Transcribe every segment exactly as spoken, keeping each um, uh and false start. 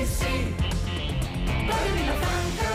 sí, per Vilafranca.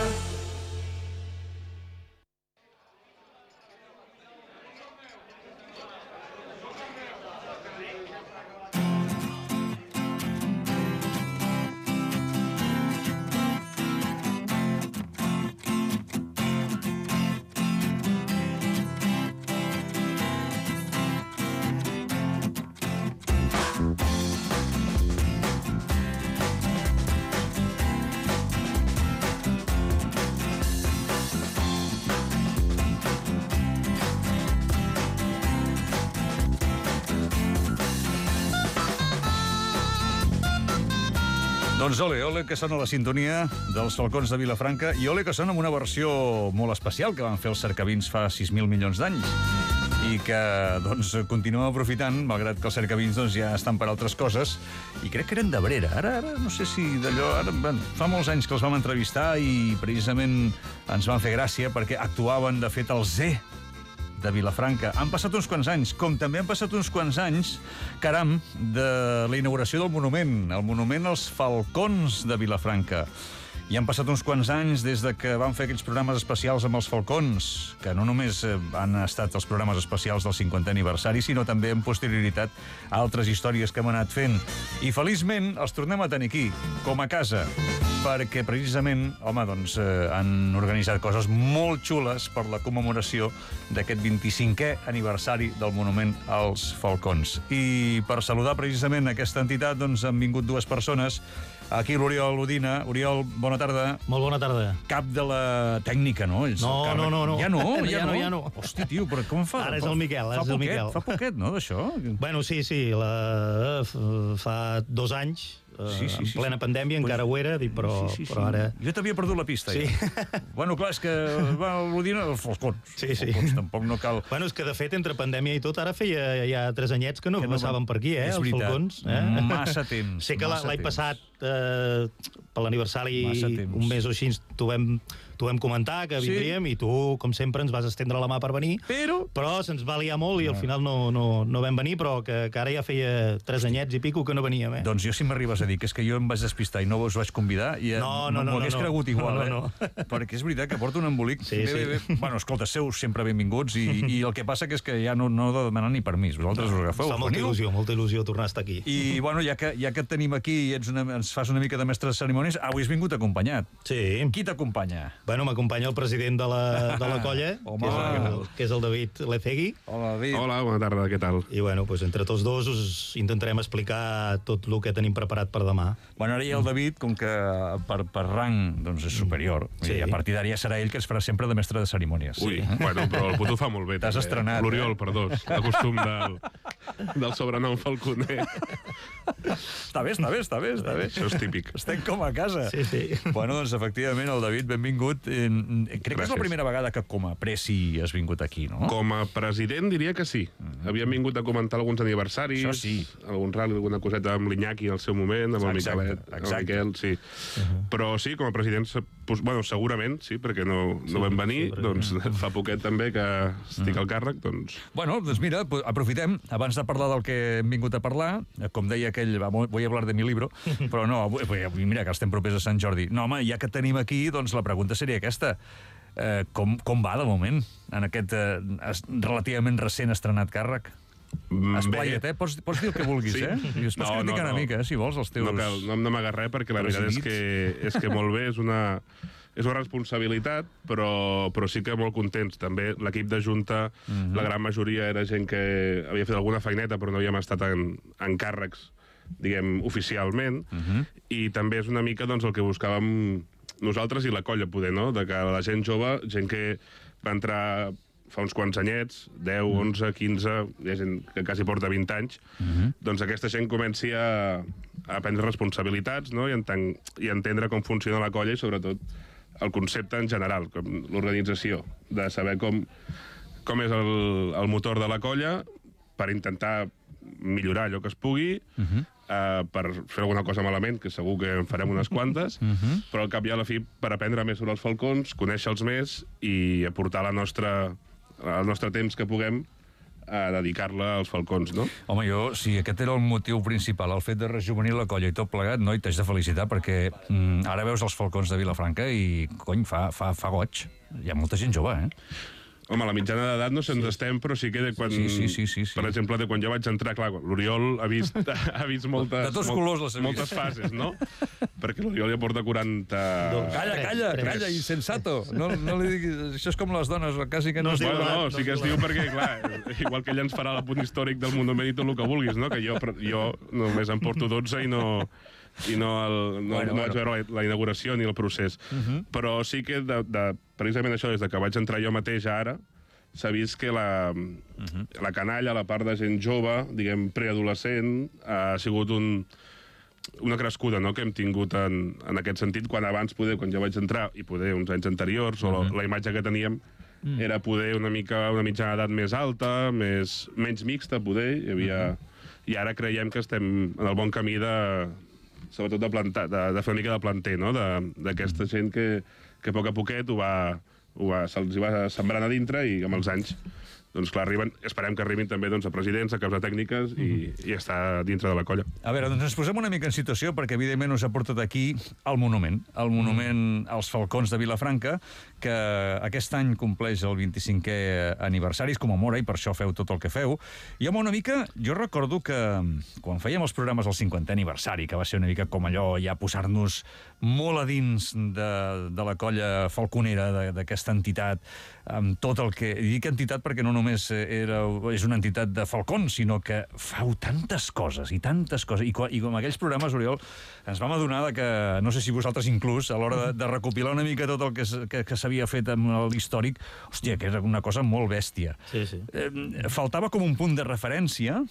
Doncs ole, ole que sona la sintonia dels Falcons de Vilafranca i ole que sona amb una versió molt especial que van fer els cercavins fa sis mil milions d'anys i que doncs continuem aprofitant, malgrat que els cercavins doncs, ja estan per altres coses, i crec que eren d'Abrera. Ara, ara no sé si d'allò... Ara, bueno, fa molts anys que els vam entrevistar i precisament ens van fer gràcia perquè actuaven, de fet, al Z de Vilafranca. Han passat uns quants anys, com també han passat uns quants anys, caram, de la inauguració del monument, el monument als Falcons de Vilafranca. I han passat uns quants anys des de que van fer aquells programes especials amb els Falcons, que no només han estat els programes especials del cinquantè aniversari, sinó també en posterioritat altres històries que hem anat fent. I feliçment els tornem a tenir aquí, com a casa, perquè precisament, home, doncs, eh, han organitzat coses molt xules per la commemoració d'aquest vint-i-cinquè aniversari del monument als Falcons. I per saludar precisament aquesta entitat, doncs, han vingut dues persones. Aquí l'Oriol Udina. Oriol, bona tarda. Molt bona tarda. Cap de la tècnica, no? No, no, no, no. Ja no? Ja no, ja no. Hosti, tio, però com fa? Ara és el Miquel, ara és el Miquel. Fa poquet, no, d'això? Bueno, sí, sí, la... fa dos anys, sí, sí, sí, en plena sí. pandèmia, pues... encara ho era, però, sí, sí, sí. però ara... Jo t'havia perdut la pista, sí. ja. Bueno, clar, és que va l'Udina dels Falcons. Sí, sí. Falcons, tampoc no cal... Bueno, és que, de fet, entre pandèmia i tot, ara feia ja tres anyets que no, que no passaven per aquí, eh, és els veritat. Falcons. Eh? Massa temps. Sé que l'any passat, eh, per l'aniversari, un mes o així, t'ho vam, t'ho vam comentar, que vindríem, sí. I tu, com sempre, ens vas estendre la mà per venir, però, però se'ns va liar molt i al final no, no, no vam venir, però que, que ara ja feia tres anyets i pico que no veníem, eh? Doncs jo, si m'arribes a dir que és que jo em vaig despistar i no us vaig convidar, i no, no, no, m'ho hagués no, no. cregut igual, no, no, eh? No. Perquè és veritat que porto un embolic. Sí, bé, bé, bé. sí. Bueno, escolta, sou sempre benvinguts i, i el que passa que és que ja no, no heu de demanar ni permís. Vosaltres us agafeu. Fa molta il·lusió, molta il·lusió tornar a estar aquí. I, bueno, ja que, ja que et tenim aquí i ets una, ens fas una mica de mestre de cerimònies, avui has vingut acompanyat. Sí. Qui t'acompanya? Bueno, m'acompanya el president de la, de la colla, Home. que, és el, que és el David Lecegui. Hola, David. Hola, bona tarda, què tal? I, bueno, pues, entre tots dos us intentarem explicar tot el que tenim preparat per demà. Bueno, ara hi ha el David, com que per, per rang doncs, és superior, sí. I a partir d'ara ja serà ell que es farà sempre de mestre de cerimònies. Ui, sí. Bueno, però el puto fa molt bé. T'has estrenat. L'Oriol, eh? per dos. El costum del, del sobrenom falconer. Està bé, està bé, està bé, està bé. Això és típic. Estem com a casa. Sí, sí. Bueno, doncs, efectivament, el David, benvingut. Crec Gràcies. Que és la primera vegada que com a presi has vingut aquí, no? Com a president diria que sí. Mm-hmm. Havíem vingut a comentar alguns aniversaris, això sí. Algun rally, alguna coseta amb l'Iñaki al seu moment, amb el Miquelet, amb el Miquel, sí. Uh-huh. Però sí, com a president, bueno, segurament, sí, perquè no, no sí, vam venir, sí, doncs fa poquet també que estic al càrrec, doncs... Bueno, doncs mira, aprofitem, abans de parlar del que hem vingut a parlar, com deia aquell, voy a hablar de mi libro, però no, mira que estem propers a Sant Jordi. No, home, ja que et tenim aquí, doncs la pregunta seria aquesta. Eh, com, com va, de moment, en aquest eh, relativament recent estrenat càrrec? Esplaia't, eh? Pots, pots dir el que vulguis, sí. Eh? I es pots no, criticar no, no. una mica, eh, si vols, els teus... No cal, no em n'amagues res, perquè la veritat és que, és que molt bé, és una... És una responsabilitat, però, però sí que molt contents. També l'equip de Junta, mm-hmm. la gran majoria era gent que havia fet alguna feineta, però no havíem estat en, en càrrecs, diguem, oficialment, mm-hmm. i també és una mica doncs, el que buscàvem nosaltres i la colla, poder, no? De que la gent jove, gent que va entrar fa uns quants anyets, deu, onze, quinze, hi ha gent que quasi porta vint anys, mm-hmm. doncs aquesta gent comenci a, a prendre responsabilitats, no? I, entenc, i entendre com funciona la colla i, sobretot, el concepte en general, com l'organització, de saber com, com és el, el motor de la colla per intentar millorar allò que es pugui, uh-huh. eh, per fer alguna cosa malament, que segur que en farem unes quantes, uh-huh. però al cap i a la fi per aprendre més sobre els falcons, conèixer-los més i aportar la nostra, el nostre temps que puguem a dedicar-la als falcons, no? Home, jo, si aquest era el motiu principal, el fet de rejuvenir la colla i tot plegat, noi, t'haig de felicitar, perquè mm, ara veus els falcons de Vilafranca i, cony, fa, fa, fa goig. Hi ha molta gent jove, eh? Home, la mitjana d'edat no se'ns sí. estem, però sí que de quan... Sí, sí, sí, sí, sí. Per exemple, de quan jo vaig entrar, clar, l'Oriol ha vist, ha vist moltes... De tots molt, colors les ha vist. Moltes fases, no? Perquè l'Oriol ja porta quaranta... Calla, calla, calla, insensato. No, no li diguis... Això és com les dones, quasi que no... No, es diu, bueno, no, no, sí que es diu perquè, clar, igual que ell ens farà l'apunt històric del monument i tot el que vulguis, no? Que jo, jo només em porto dotze i no... i no, el, no, bueno, no vaig veure la, la inauguració ni el procés. Uh -huh. Però sí que, de, de, precisament això, des de que vaig entrar jo mateix ara, s'ha vist que la, uh -huh. la canalla, la part de gent jove, diguem, preadolescent, ha sigut un, una crescuda, no?, que hem tingut en, en aquest sentit, quan abans, poder, quan jo vaig entrar, i poder uns anys anteriors, uh -huh. o la, la imatge que teníem, uh -huh. era poder una mica una mitjana d'edat més alta, més, menys mixta, poder, hi havia... Uh -huh. I ara creiem que estem en el bon camí de... sobretot de, plantar, de, de fer una mica de planter, no?, d'aquesta gent que, que a poc a poquet ho va, ho va, se'ls va sembrant a dintre i amb els anys, doncs clar, arriben, esperem que arribin també doncs, a presidents, a caps de tècniques i, i estar dintre de la colla. A veure, doncs ens posem una mica en situació perquè evidentment us ha portat aquí el monument, el monument als Falcons de Vilafranca, que aquest any compleix el vint-i-cinquè aniversari, es commemora i per això feu tot el que feu. I home, una mica, jo recordo que quan fèiem els programes del cinquantè aniversari, que va ser una mica com allò, ja posar-nos molt a dins de, de la colla falconera d'aquesta entitat, amb tot el que... I dic entitat perquè no només era, és una entitat de falcons, sinó que feu tantes coses i tantes coses. I, i com aquells programes, Oriol, ens vam adonar que, no sé si vosaltres inclús, a l'hora de, de recopilar una mica tot el que, que, que s'havia fet amb l'històric, hòstia, que era una cosa molt bèstia. Sí, sí. Eh, faltava com un punt de referència,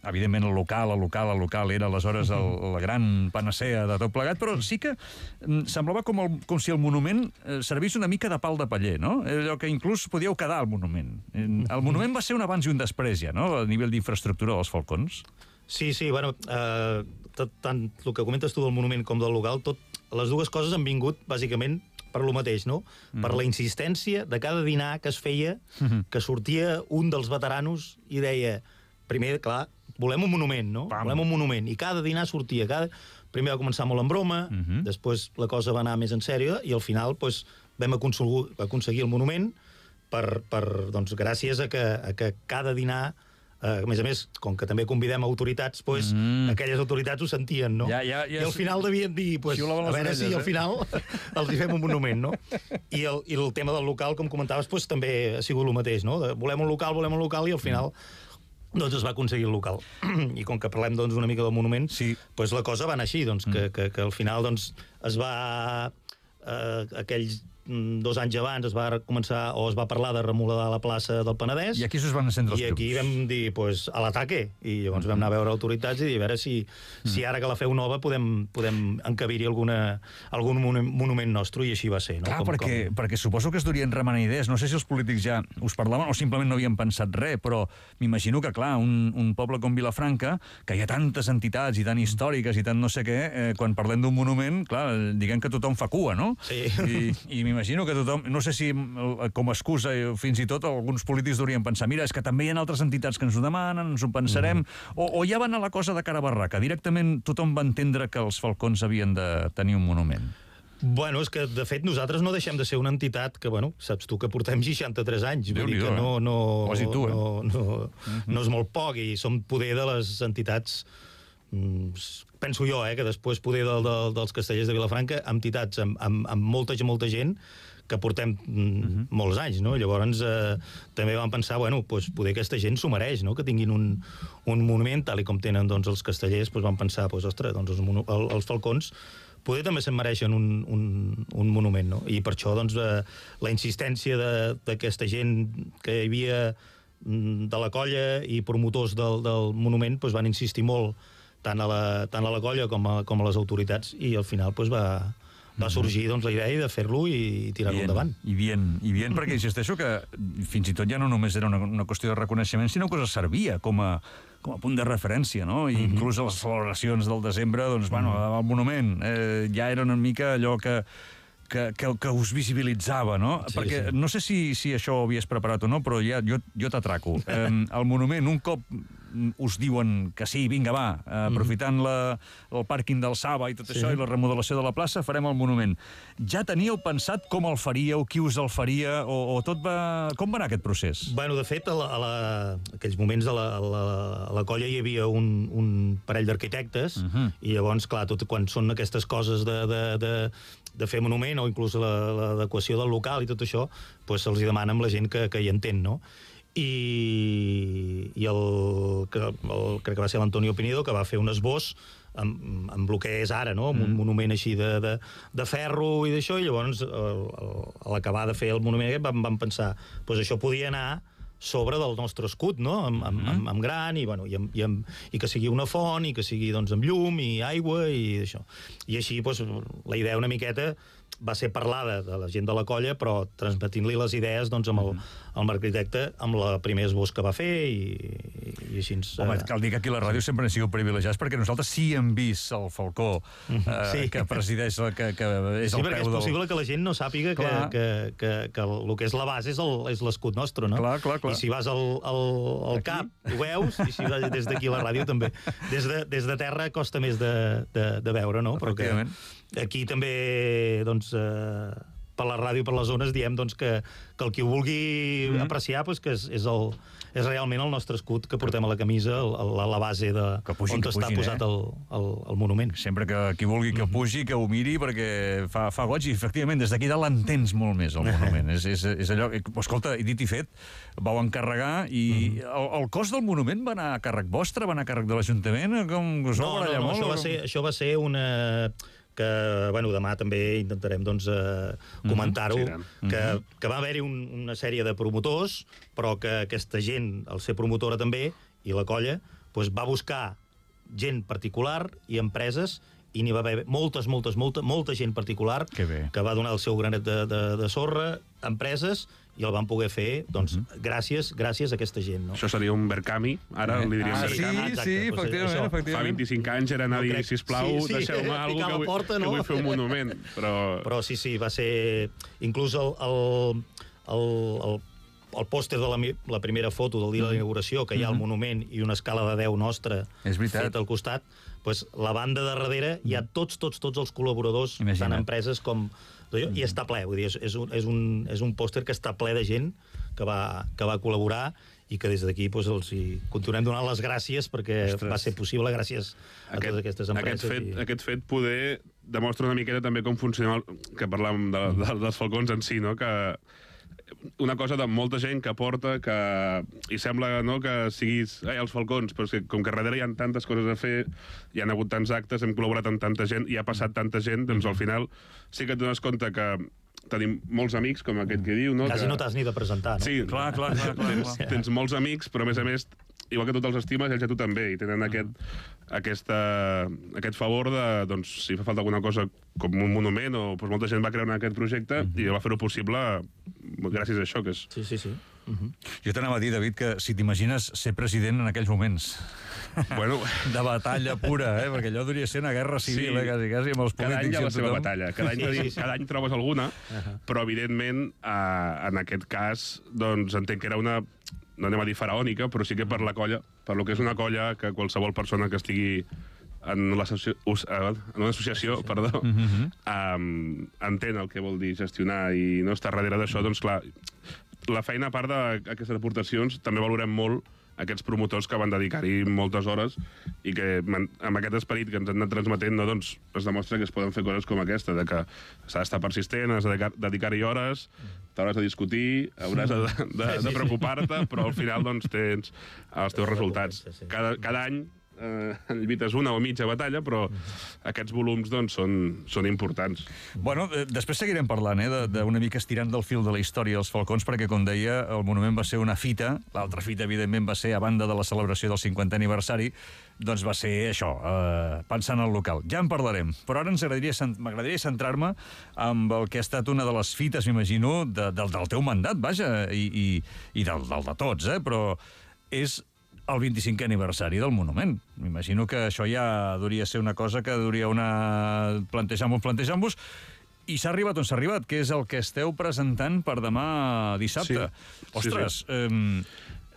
evidentment el local, el local, el local era aleshores el, la gran panacea de tot plegat, però sí que semblava com, el, com si el monument servís una mica de pal de paller, no? Allò que inclús podíeu quedar al monument. El monument va ser un abans i un després, ja, no?, a nivell d'infraestructura dels Falcons. Sí, sí, bueno, eh, tot, tant el que comentes tu del monument com del local, tot, les dues coses han vingut, bàsicament, per lo mateix, no? Mm. Per la insistència de cada dinar que es feia, mm-hmm. que sortia un dels veteranos i deia, primer, clar, volem un monument, no? Pam. Volem un monument. I cada dinar sortia, cada... Primer va començar molt en broma, mm-hmm. després la cosa va anar més en sèrio, i al final, doncs, vam aconseguir, aconseguir el monument per, per, doncs, gràcies a que, a que cada dinar, eh, a més a més, com que també convidem autoritats, doncs, mm. aquelles autoritats ho sentien, no? Ja, ja, ja, I al final devien dir, pues, a veure orelles, si al final eh? els hi fem un monument, no? I el, i el tema del local, com comentaves, pues, també ha sigut el mateix, no? De, volem un local, volem un local, i al final... doncs es va aconseguir el local. I com que parlem doncs, una mica del monument, sí. doncs la cosa va anar així, doncs, mm. que, que, que al final doncs, es va... Eh, aquells dos anys abans es va començar, o es va parlar de remodelar la plaça del Penedès. I aquí us van encendre els I aquí vam dir, pues, a l'ataque. I llavors mm-hmm. vam anar a veure autoritats i dir, a veure si, mm. si ara que la feu nova podem, podem encabir-hi alguna, algun monument nostre, i així va ser. No? Clar, com, perquè, com... perquè suposo que es durien remenant idees. No sé si els polítics ja us parlaven o simplement no havien pensat res, però m'imagino que, clar, un, un poble com Vilafranca, que hi ha tantes entitats i tan històriques i tant no sé què, eh, quan parlem d'un monument, clar, diguem que tothom fa cua, no? Sí. I, i m'imagino que tothom, no sé si com a excusa fins i tot alguns polítics deurien pensar, mira, és que també hi ha altres entitats que ens ho demanen, ens ho pensarem, mm. o, o ja va anar la cosa de cara a barraca, directament tothom va entendre que els Falcons havien de tenir un monument. Bueno, és que, de fet, nosaltres no deixem de ser una entitat que, bueno, saps tu que portem seixanta-tres anys, vull dir que no, no, Quasi tu, eh? no, no, mm-hmm. no és molt poc, i som poder de les entitats, penso jo, eh, que després poder de, de, dels castellers de Vilafranca, entitats amb, amb, amb molta, molta gent, que portem mm-hmm. molts anys, no? Llavors eh, també vam pensar, bueno, pues, poder aquesta gent s'ho mereix, no? Que tinguin un, un monument, tal i com tenen doncs, els castellers, pues, vam pensar, pues, ostres, doncs, els, mono, el, els Falcons poder també se'n mereixen un, un, un monument, no? I per això, doncs, eh, la insistència d'aquesta gent que hi havia de la colla i promotors del, del monument, pues, van insistir molt tant a la, tant a la colla com a, com a les autoritats, i al final pues, va... va sorgir doncs, la idea de fer-lo i tirar-lo endavant. I bien, i bien, perquè insisteixo que fins i tot ja no només era una, una qüestió de reconeixement, sinó que servia com a, com a punt de referència, no? I mm-hmm. inclús a les celebracions del desembre, doncs, bueno, el monument eh, ja era una mica allò que que, que, que us visibilitzava, no? Sí, Perquè sí. no sé si, si això ho havies preparat o no, però ja, jo, jo t'atraco. Eh, el monument, un cop us diuen que sí, vinga, va, eh, aprofitant la, el pàrquing del Saba i tot Sí. això, i la remodelació de la plaça, farem el monument. Ja teníeu pensat com el faríeu, qui us el faria, o, o tot va... Com va anar aquest procés? Bueno, de fet, a, la, a la, aquells moments a la, a la, a la colla hi havia un, un parell d'arquitectes, uh -huh. i llavors, clar, tot quan són aquestes coses de, de, de, de fer monument, o inclús l'adequació del local i tot això, doncs se'ls demana amb la gent que, que hi entén, no? I, i el, que, el, crec que va ser l'Antonio Pinedo, que va fer un esbós amb, amb el que és ara, no? Amb un mm. monument així de, de, de ferro i d'això, i llavors el, el, a l'acabar de fer el monument aquest vam, vam pensar, doncs això podia anar sobre del nostre escut, no? Amb, amb, amb, amb gran i, bueno, i, amb, i, amb, i que sigui una font i que sigui, doncs, amb llum i aigua i això. I així, doncs, la idea una miqueta va ser parlada de la gent de la colla, però transmetint-li les idees, doncs, amb el, amb l'arquitecte, amb la primer esbós que va fer i, i així ens... Home, cal dir que aquí a la ràdio sempre hem sigut privilegiats perquè nosaltres sí hem vist el falcó eh, Sí. que presideix, la, que, que és Sí, el perquè peu és del... possible que la gent no sàpiga que, Clar. que, que, que el que és la base és el- és l'escut nostre, no? Clar, clar, clar. I si vas al, al, al cap, ho veus, i si vas des d'aquí a la ràdio també. Des de, des de terra costa més de, de, de veure, no? Però que Efectivament. aquí també, doncs, eh, per la ràdio, per les zones, diem doncs, que, que el qui ho vulgui mm -hmm. apreciar, doncs, que és, és, el, és realment el nostre escut que portem a la camisa, el, la, la base de, Que pugin, on que està pugin, posat eh? el, el, el monument. Sempre que qui vulgui que pugi, que ho miri, perquè fa, fa goig, i efectivament des d'aquí dalt l'entens molt més, el monument. és, és, és allò... Escolta, i dit i fet, vau encarregar, i el, el cost del monument va anar a càrrec vostre, va anar a càrrec de l'Ajuntament? Com us No, vau no, barallar no, molt? això va o- ser, això va ser una... que, bueno, demà també intentarem, doncs, eh, comentar-ho, Sí, tant. que, que va haver-hi un, una sèrie de promotors, però que aquesta gent, al ser promotora també, i la colla, doncs va buscar gent particular i empreses, i n'hi va haver moltes, moltes, molta, molta gent particular Que bé. que va donar el seu granet de, de, de sorra, empreses, i el van poder fer, doncs, gràcies, gràcies a aquesta gent, no? Això seria un Verkami, ara li diríem Ah, sí, sí, Verkami. exacte, sí, doncs efectivament, això. efectivament. Fa vint-i-cinc anys era anar a No dir, crec- sisplau, sí, sí, deixeu-me picar alguna la que, vull- porta, que no? vull fer un monument. Però, Però sí, sí, va ser... Inclús el, el, el, el, el pòster de la, mi- la primera foto del dia de la inauguració, que hi ha el monument i una escala de deu nostra És veritat. feta al costat, doncs la banda de darrere hi ha tots, tots, tots els col·laboradors, Imagina't. tant empreses com... I està ple, vull dir, és, és un, és un, és un pòster que està ple de gent que va, que va col·laborar i que des d'aquí doncs, els hi continuem donant les gràcies perquè Ostres. va ser possible gràcies a totes aquestes empreses. Aquest fet, i... aquest fet poder demostra una miqueta també com funciona el, que parlàvem de, de, dels falcons en si, no? Que una cosa de molta gent que porta, que i sembla, no, que siguis eh, els falcons, però és que com que darrere hi ha tantes coses a fer, hi ha hagut tants actes, hem col·laborat amb tanta gent, i ha passat tanta gent, doncs al final sí que et dones compte que tenim molts amics, com aquest que diu, no? Quasi que... no t'has ni de presentar, no? Sí, Clar, clar, clar, clar, tens, clar. tens molts amics, però a més a més, igual que tu te'ls estimes, ells a tu també, i tenen aquest, aquesta, aquest favor de, doncs, si fa falta alguna cosa com un monument, o doncs, molta gent va creure en aquest projecte i va fer-ho possible gràcies a això, que és... Sí, sí, sí. Uh -huh. Jo t'anava a dir, David, que si t'imagines ser president en aquells moments Bueno, de batalla pura, eh? Perquè allò hauria de ser una guerra civil, Sí. eh? Quasi, quasi, amb els cada any polítics hi ha i la amb seva tothom. batalla, cada any, Sí, sí, sí. cada any trobes alguna, però evidentment, eh, en aquest cas, doncs entenc que era una, no anem a dir faraònica, però sí que per la colla, per lo que és una colla, que qualsevol persona que estigui en, en una associació, perdó, Mm -hmm. um, entén el que vol dir gestionar i no estar darrere d'això, doncs clar, la feina, a part d'aquestes aportacions, també valorem molt aquests promotors que van dedicar-hi moltes hores i que amb aquest esperit que ens han anat transmetent, no, doncs, es demostra que es poden fer coses com aquesta, de que s'ha d'estar persistent, has de dedicar- dedicar-hi hores, t'hauràs de discutir, hauràs de, de, de preocupar-te, però al final doncs, tens els teus resultats. Cada, cada any eh, lluites una o mitja batalla, però aquests volums doncs, són, són importants. Bueno, eh, després seguirem parlant, eh, d'una mica estirant del fil de la història dels falcons, perquè, com deia, el monument va ser una fita, l'altra fita, evidentment, va ser, a banda de la celebració del cinquantè aniversari, doncs va ser això, eh, pensant en el local. Ja en parlarem, però ara ens agradaria, m'agradaria centrar-me amb el que ha estat una de les fites, m'imagino, de, del, del teu mandat, vaja, i, i, i del, del de tots, eh, però és el vint-i-cinquè aniversari del monument. M'imagino que això ja hauria ser una cosa que hauria una... plantejar-vos, plantejar-vos, I s'ha arribat on s'ha arribat, que és el que esteu presentant per demà dissabte. Sí. Ostres, sí, sí. eh,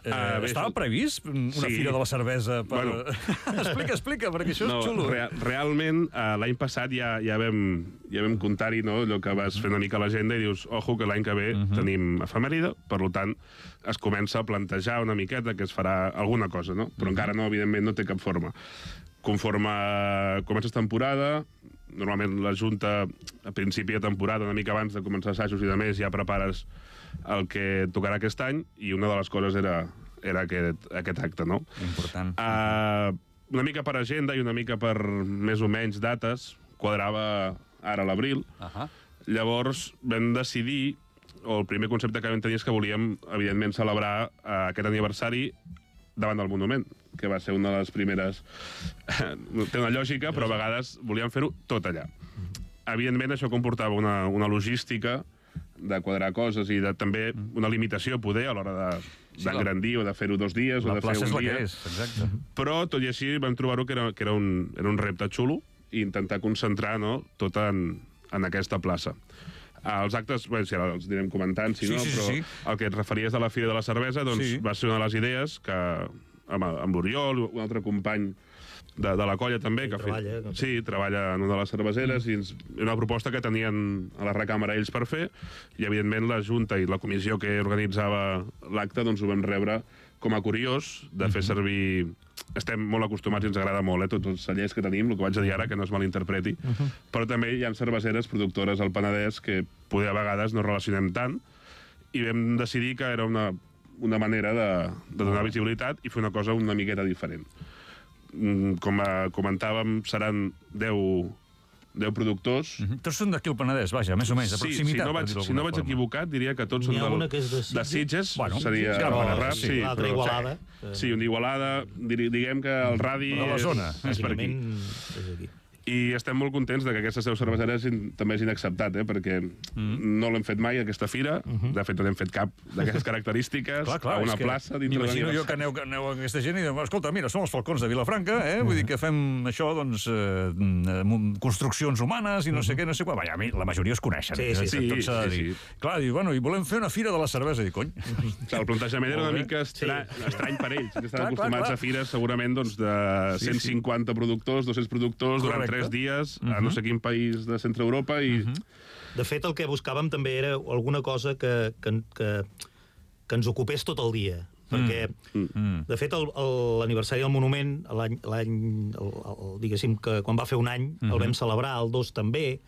eh, uh, bé, estava previst una sí. fira de la cervesa? Per... Bueno. explica, explica, perquè això no, és xulo. Real, realment, uh, l'any passat ja, ja vam, ja vam comptar-hi, no?, allò que vas fer una mica a l'agenda i dius, ojo, que l'any que ve uh -huh. tenim efemèride, per tant, es comença a plantejar una miqueta que es farà alguna cosa, no? Però uh -huh. encara no, evidentment, no té cap forma. Conforme comences temporada, normalment la Junta, a principi de temporada, una mica abans de començar assajos i de més, ja prepares el que tocarà aquest any, i una de les coses era, era aquest, aquest acte, no? Important. Uh, una mica per agenda i una mica per més o menys dates, quadrava ara l'abril. Uh -huh. Llavors vam decidir, o el primer concepte que vam tenir és que volíem, evidentment, celebrar uh, aquest aniversari davant del Monument, que va ser una de les primeres... Té una lògica, però a vegades volíem fer-ho tot allà. Evidentment, això comportava una, una logística de quadrar coses i de, també una limitació, poder, a l'hora d'engrandir de, o de fer-ho dos dies o de fer un dia. La plaça és la que és, exacte. Però, tot i així, vam trobar-ho que, era, que era, un, era un repte xulo i intentar concentrar, no?, tot en, en aquesta plaça. Els actes, bé, si ara els anirem comentant, si sí, no, sí, però sí. el que et referies de la Fira de la Cervesa, doncs sí. va ser una de les idees que amb, amb l'Oriol, un altre company de, de la colla també, sí, que treballa, fet, no? sí, treballa en una de les cerveseres, mm. i ens, una proposta que tenien a la recàmera ells per fer, i evidentment la Junta i la comissió que organitzava l'acte doncs ho vam rebre com a curiós de fer servir... Estem molt acostumats i ens agrada molt, eh, tots els cellers que tenim, el que vaig a dir ara, que no es malinterpreti, uh -huh. però també hi ha cerveseres productores al Penedès que poder a vegades no relacionem tant, i vam decidir que era una, una manera de, de donar visibilitat i fer una cosa una miqueta diferent. Com a, comentàvem, seran deu productors. Uh -huh. Tots són d'aquí al Penedès, vaja, més o menys, de sí, proximitat. Si no vaig, si no vaig equivocat, diria que tots són del, de Sitges, de Sitges bueno, seria sí, el rap, sí, sí, l'altra Igualada. Sí, una Igualada, diguem que el radi de la zona. És, és per aquí. És aquí. I estem molt contents de que aquestes deu cerveseres també hagin acceptat, eh? perquè mm. no l'hem fet mai, aquesta fira. Uh -huh. De fet, no n'hem fet cap d'aquestes característiques clar, clar, a una plaça dintre de m'imagino jo que aneu, aneu a aquesta gent i diu, escolta, mira, som els Falcons de Vilafranca, eh? Vull dir que fem això, doncs, eh, construccions humanes i no sé què, no sé què. Vaja, la majoria es coneixen. Sí, sí, sí. sí, sí, sí, sí. Clar, diu, bueno, i volem fer una fira de la cervesa. I cony. Clar, el plantejament era una mica estra... sí. estrany per ells, que estan clar, acostumats clar, clar. a fires segurament doncs, de cent cinquanta sí, sí. productors, dos-cents productors, correcte. Durant tres dies, a no sé quin país de Centre Europa i... Uh -huh. De fet, el que buscàvem també era alguna cosa que, que, que, que ens ocupés tot el dia. Perquè, mm. de fet, l'aniversari del Monument, l'any, diguéssim, que quan va fer un any, el vam celebrar, el dos també,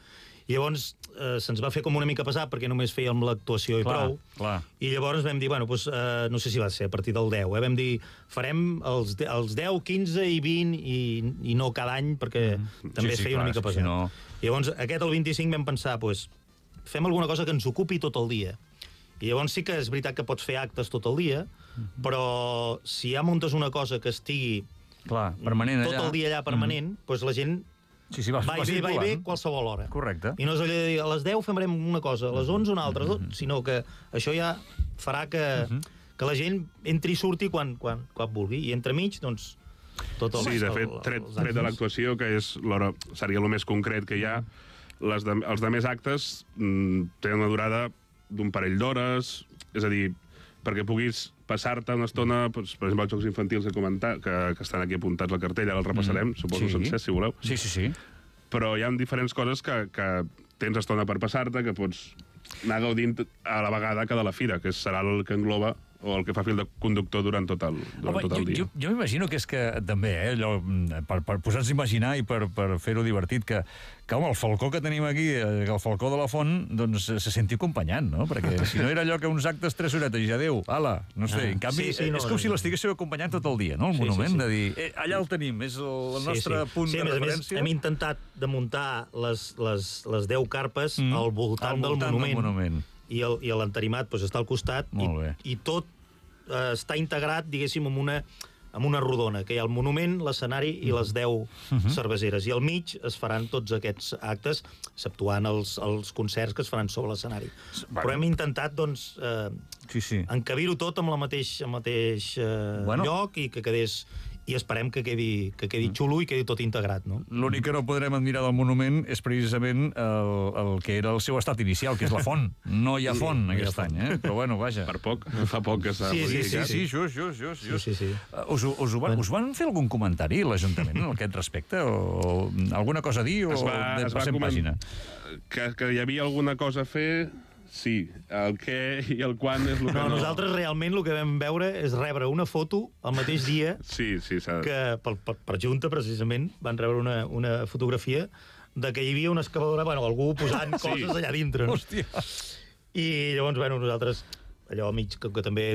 i llavors eh, se'ns va fer com una mica pesat perquè només fèiem l'actuació i clar, prou. Clar. I llavors vam dir, bueno, doncs, eh, no sé si va ser a partir del deu, eh, vam dir, farem els, els deu, quinze i vint i, i no cada any perquè mm. també sí, es feia sí, clar, una mica pesat. Si no... I llavors aquest, el vint-i-cinc, vam pensar, doncs, fem alguna cosa que ens ocupi tot el dia. I llavors sí que és veritat que pots fer actes tot el dia, mm. però si ja muntes una cosa que estigui clar, permanent tot allà. el dia allà permanent, mm. doncs la gent... Sí, sí, va, va, i bé, va i bé qualsevol hora. Correcte. I no és allò de dir, a les deu farem una cosa, a les onze una altra, mm -hmm. sinó que això ja farà que, mm -hmm. que la gent entri i surti quan, quan, quan vulgui. I entremig, doncs, tot el... Sí, de fet, tret, tret de l'actuació, que és l'hora, seria el més concret que hi ha, les de, els de més actes mm, tenen una durada d'un parell d'hores, és a dir, perquè puguis passar-te una estona, doncs, per exemple, els jocs infantils que, comentar, que, que estan aquí apuntats al cartell, ara el repassarem, mm. suposo sí. sencer, si voleu. Sí, sí, sí. Però hi ha diferents coses que, que tens estona per passar-te, que pots anar gaudint a la vegada que de la fira, que serà el que engloba o el que fa fil de conductor durant tot el, durant Home, tot el dia. Jo, jo m'imagino que és que també, eh, allò, per, per posar-nos a imaginar i per, per fer-ho divertit, que, que home, el falcó que tenim aquí, el falcó de la Font, doncs se senti acompanyant, no? Perquè si no era allò que uns actes tres horetes i ja adéu, ala, no sé, ah, en canvi, sí, sí, no, és com si l'estiguéssiu acompanyant tot el dia, no? El sí, monument, sí, sí. de dir, eh, allà el tenim, és el, el nostre sí, sí. punt sí, de referència. Més, hem intentat de muntar les, les, les deu carpes mm. al voltant, al voltant del monument, del monument. i l'enterimat doncs, està al costat i, i tot eh, està integrat, diguéssim, en una, en una rodona, que hi ha el monument, l'escenari i les deu uh-huh. cerveseres. I al mig es faran tots aquests actes, exceptuant els, els concerts que es faran sobre l'escenari. Bueno. Però hem intentat, doncs, eh, sí, sí. encabir-ho tot amb el mateix, el mateix eh, bueno. lloc i que quedés i esperem que quedi, que quedi xulo i quedi tot integrat, no? L'únic que no podrem admirar del monument és precisament el, el que era el seu estat inicial, que és la font. No hi ha font sí, aquest any, eh? Però bueno, vaja. Per poc, fa poc que s'ha Sí, sí, modificat. Sí, sí, just, just, just. just. Sí, sí, sí. Uh, us, us, us, van, us van fer algun comentari, l'Ajuntament, en aquest respecte? O, o alguna cosa a dir? O Es va, es va passem coment- pàgina? Que, que hi havia alguna cosa a fer, sí. El què i el quan és el que No, no... nosaltres realment el que vam veure és rebre una foto el mateix dia Sí, sí, s'ha... que per, per, per Junta, precisament, van rebre una, una fotografia de que hi havia una excavadora, bueno, algú posant Sí. coses allà dintre. No? Hòstia. I llavors, bueno, nosaltres, allò mig, que, que també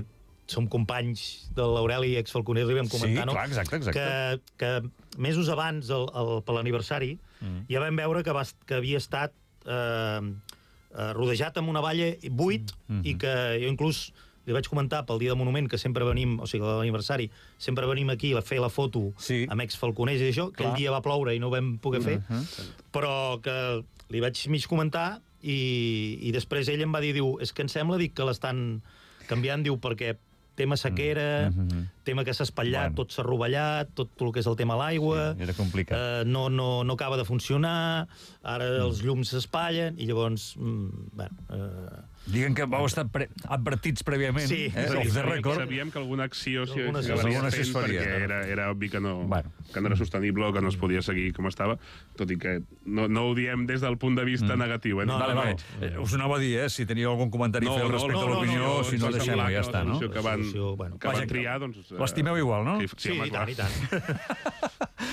som companys de l'Aureli i exfalconer, li vam comentar, Sí, no? clar, exacte, exacte. Que, que mesos abans, el, el, per l'aniversari, mm. ja vam veure que, va, que havia estat eh, eh, rodejat amb una valla buit mm. i que jo inclús li vaig comentar pel dia del monument que sempre venim, o sigui, l'aniversari, sempre venim aquí a fer la foto Sí. amb exfalconers i això, que Clar. el dia va ploure i no ho vam poder fer, Uh -huh. però que li vaig mig comentar i, i després ell em va dir, diu, és que em sembla dic, que l'estan canviant, diu, perquè tema sequera, Mm -hmm. tema que s'ha espatllat, Bueno. tot s'ha rovellat, tot el que és el tema l'aigua, Sí, era complicat. eh, no, no, no acaba de funcionar, ara mm. els llums s'espatllen, i llavors, mm, bueno... Eh, Diguen que vau estar pre advertits prèviament, Sí, eh? sí, Off the sí, record. Sabíem que alguna acció s'hi Alguna acció- acabaria alguna fent acció es faria. perquè era, era obvi que no, Bueno. que no era sostenible o que no es podia seguir com estava, tot i que no, no ho diem des del punt de vista mm. negatiu. Eh? No, Vale, no, vale. Eh, us anava a dir, eh, si teníeu algun comentari a fer respecte no, a no, l'opinió, no, no, si no, ens va deixem-ho, semblar ja que està, la no? solució que van, Solució, bueno. que Vaja, van triar, doncs... eh, l'estimeu igual, no? Sí, Sí, home, i clar. tant, i tant.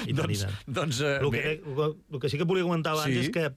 I tant, i doncs, tant. doncs eh, El bé. que, el que sí que volia comentar abans Sí. és que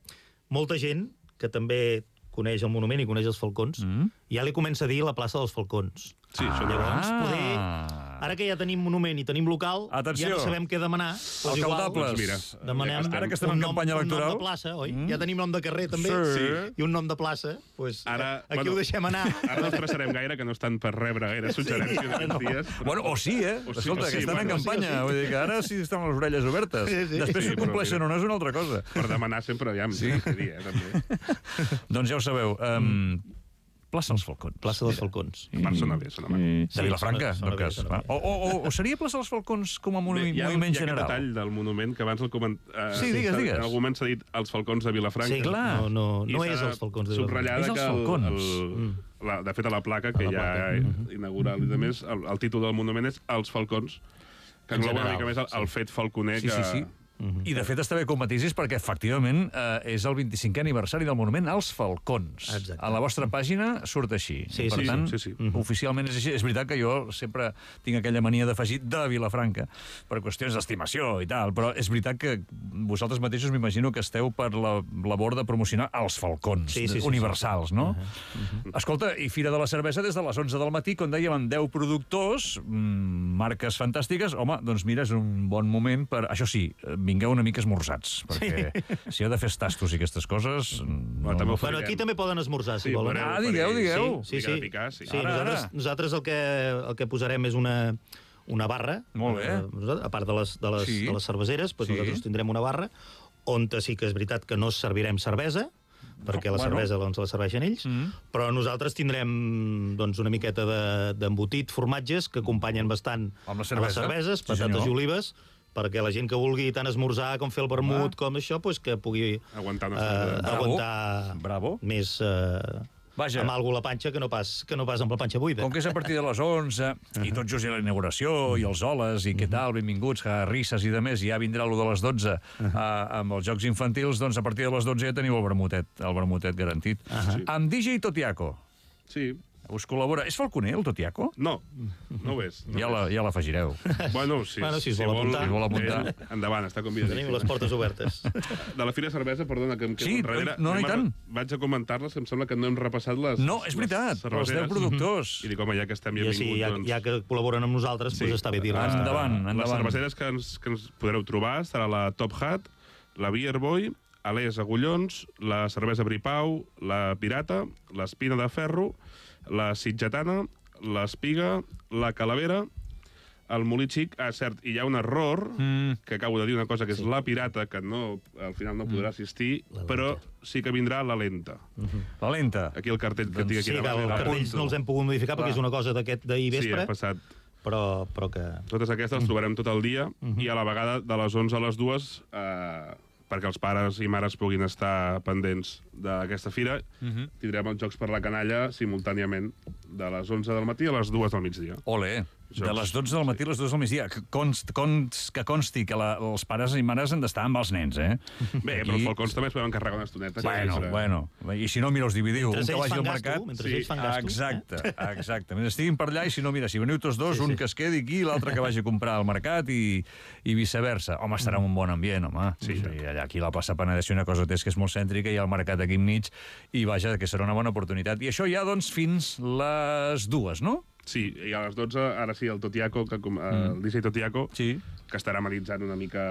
molta gent que també coneix el monument i coneix els falcons, Mm. ja li comença a dir la plaça dels falcons. Sí, això no. Llavors, Ah. poder... Ara que ja tenim monument i tenim local, Atenció. ja no sabem què demanar. Doncs igual, Alcaldables. Doncs mira, demanem ja Ara que estem un en nom, campanya un electoral. nom de plaça, oi? Mm. Ja tenim nom de carrer, també. Sí. I un nom de plaça. Pues, Ara, aquí bueno, ho deixem anar. Ara no estressarem gaire, que no estan per rebre gaire suggerències Sí, ara aquests no. dies. Però... Bueno, o sí, eh? O sí, Escolta, o que sí, estan bueno, en sí, campanya. o sí. Vull dir que ara sí estan les orelles obertes. Sí, sí. Després, Sí, si ho però compleixen mira. o no, és una altra cosa. Per demanar sempre, aviam, sí. Què dir, eh, també. Doncs ja ho sabeu. Um, plaça dels Falcons. Plaça dels Falcons. A part, sona bé, sona bé. De Sí, Vilafranca, sona- en tot sona bé, cas. sona Va. bé. O, o, o seria plaça dels Falcons com a monument, Bé, hi ha, moviment hi ha general? aquest detall del monument que abans el coment... Eh, Sí, digues, digues. En algun moment s'ha dit els Falcons de Vilafranca. Sí, clar. no, no, I no s'ha és els Falcons de Vilafranca. subratllat És els que el- Falcons. el- la, de fet, a la placa, que A la ja placa. inaugural i de més, el, el títol del monument és Els Falcons, que En engloba una general, mica més el, el fet falconer Sí, que... sí, sí. I, de fet, està bé que ho matisis perquè, efectivament, eh, és el vint-i-cinquè aniversari del monument als Falcons. Exacte. A la vostra pàgina surt així. Sí, per sí, tant, sí, sí. oficialment és així. És veritat que jo sempre tinc aquella mania d'afegir de Vilafranca per qüestions d'estimació i tal, però és veritat que vosaltres mateixos m'imagino que esteu per la labor de promocionar els Falcons Sí, sí, sí, universals, sí. no? Escolta, i Fira de la Cervesa des de les onze del matí, com dèiem, amb deu productors, mmm, marques fantàstiques. Home, doncs mira, és un bon moment per... Això sí, vingueu una mica esmorzats, perquè sí. si heu de fer tastos i aquestes coses... No, també ho no, farem. Bueno, aquí també poden esmorzar, si Sí, volen. veureu, Ah, digueu, faré- digueu. Sí, Mica sí. de picar, sí. sí Ara, nosaltres, ara. nosaltres el que, el que posarem és una, una barra. Molt bé. Eh, nosaltres, a part de les, de les, Sí. de les cerveseres, doncs Sí. nosaltres tindrem una barra on sí que és veritat que no servirem cervesa, perquè No, la bueno. cervesa doncs, la serveixen ells, Mm. però nosaltres tindrem doncs, una miqueta de- d'embotit, formatges, que acompanyen bastant Amb la a cervesa. les cerveses, Sí, patates senyor. i olives, perquè la gent que vulgui tant esmorzar com fer el vermut, Ah. com això, doncs que pugui Aguantar una eh, cervesa. Bravo. aguantar Bravo. més eh, Vaja. amb alguna la panxa que no pas, que no pas amb la panxa buida. Com que és a partir de les onze, i tot just hi ha la inauguració, i els holes, i què tal, benvinguts, que risses i de més, i ja vindrà allò de les dotze uh, amb els jocs infantils, doncs a partir de les dotze ja teniu el vermutet, el vermutet garantit. Sí. Amb D J Totiaco, Sí. us col·labora... És falconer, el Totiaco? No, no ho és. No Ja ho la- és. ja l'afegireu. Bueno, si, Bueno, si es vol apuntar. Si es vol apuntar. eh, endavant, està convidat. Tenim les portes obertes. De la Fira de Cervesa, perdona, que em quedo Sí, enrere. no, no, i Anem a- tant. Vaig a comentar-les, em sembla que no hem repassat les No, és veritat, les els deu cerveseres. productors. I dic, home, ja que estem I benvinguts, així, ja, doncs... ja que col·laboren amb nosaltres, Sí. doncs està bé dir-les. Endavant, Les endavant. cerveseres que ens, que ens podreu trobar serà la Top Hat, la Beer Boy, Alès Agullons, la cervesa Bripau, la Pirata, l'Espina de Ferro, la Sitgetana, l'Espiga, la Calavera, el Molí Xic... Ah, cert, i hi ha un error, Mm. que acabo de dir una cosa, que és la Pirata, que no, al final no podrà assistir, La però lenta. sí que vindrà la Lenta. La lenta. Aquí el cartell que Doncs tinc aquí Sí, que davant. els era- cartells no els hem pogut modificar Clar. perquè és una cosa d'aquest d'ahir Sí, vespre. ha passat... però, però que... Totes aquestes les trobarem tot el dia i a la vegada de les onze a les dues eh, perquè els pares i mares puguin estar pendents d'aquesta fira, tindrem els Jocs per la Canalla simultàniament de les onze del matí a les dues del migdia. Ole, Jocs. de les dotze del matí a les dues del migdia. Que, const, const, que consti que la, els pares i mares han d'estar amb els nens, eh? Bé, però els falcons també es poden encarregar una estoneta. Bueno, que és, eh, bueno. I si no, mira, us dividiu. Mentre Un que ells vagi fan al gasto, mercat... mentre ells fan gasto. Exacte, exacte. Mentre estiguin per allà, i si no, mira, si veniu tots dos, Sí, un sí. que es quedi aquí i l'altre que vagi a comprar al mercat i, i viceversa. Home, estarà en un bon ambient, home. Sí, sí. Allà aquí la plaça Penedès una cosa és que és molt cèntrica i el mercat aquí enmig, i vaja, que serà una bona oportunitat. I això ja, doncs, fins les dues, no? Sí, i a les dotze, ara sí, el Totiaco, que, com- el D J Totiaco, Sí. que estarà analitzant una mica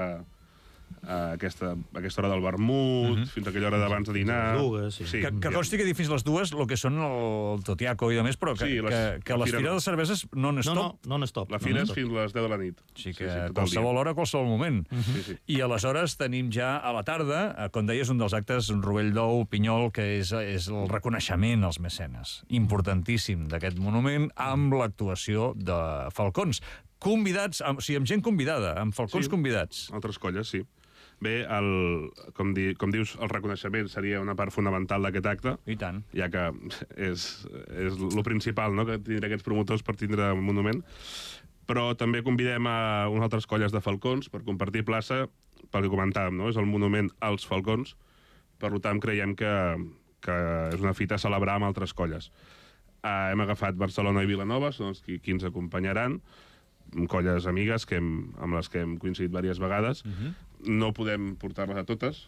a aquesta, a aquesta hora del vermut, fins a aquella hora d'abans de dinar. Les dues, sí. Que, que consti que dic fins les dues el que són el Totiaco i de més, però que, Sí, les- que, que la les fira fires no. de cerveses no No, n'estop. no, no n'estop. La fira no és fins a les deu de la nit. Sí que tot el dia. qualsevol hora, qualsevol moment. Sí, sí. I aleshores tenim ja a la tarda, eh, com deies, un dels actes, un rovell d'ou, pinyol, que és, és el reconeixement als mecenes. Importantíssim d'aquest monument, amb l'actuació de falcons. Convidats, amb, o sigui, amb gent convidada, amb falcons Sí. convidats. Altres colles, sí. Bé, el, com, di, com dius, el reconeixement seria una part fonamental d'aquest acte, I tant. ja que és, és el principal, no?, que tindrà aquests promotors per tindre un monument. Però també convidem a unes altres colles de falcons per compartir plaça, pel que comentàvem, no?, és el monument als falcons, per tant creiem que, que és una fita a celebrar amb altres colles. Uh, hem agafat Barcelona i Vilanova, són els qui, qui ens acompanyaran, colles amigues que hem, amb les que hem coincidit diverses vegades. No podem portar-les a totes,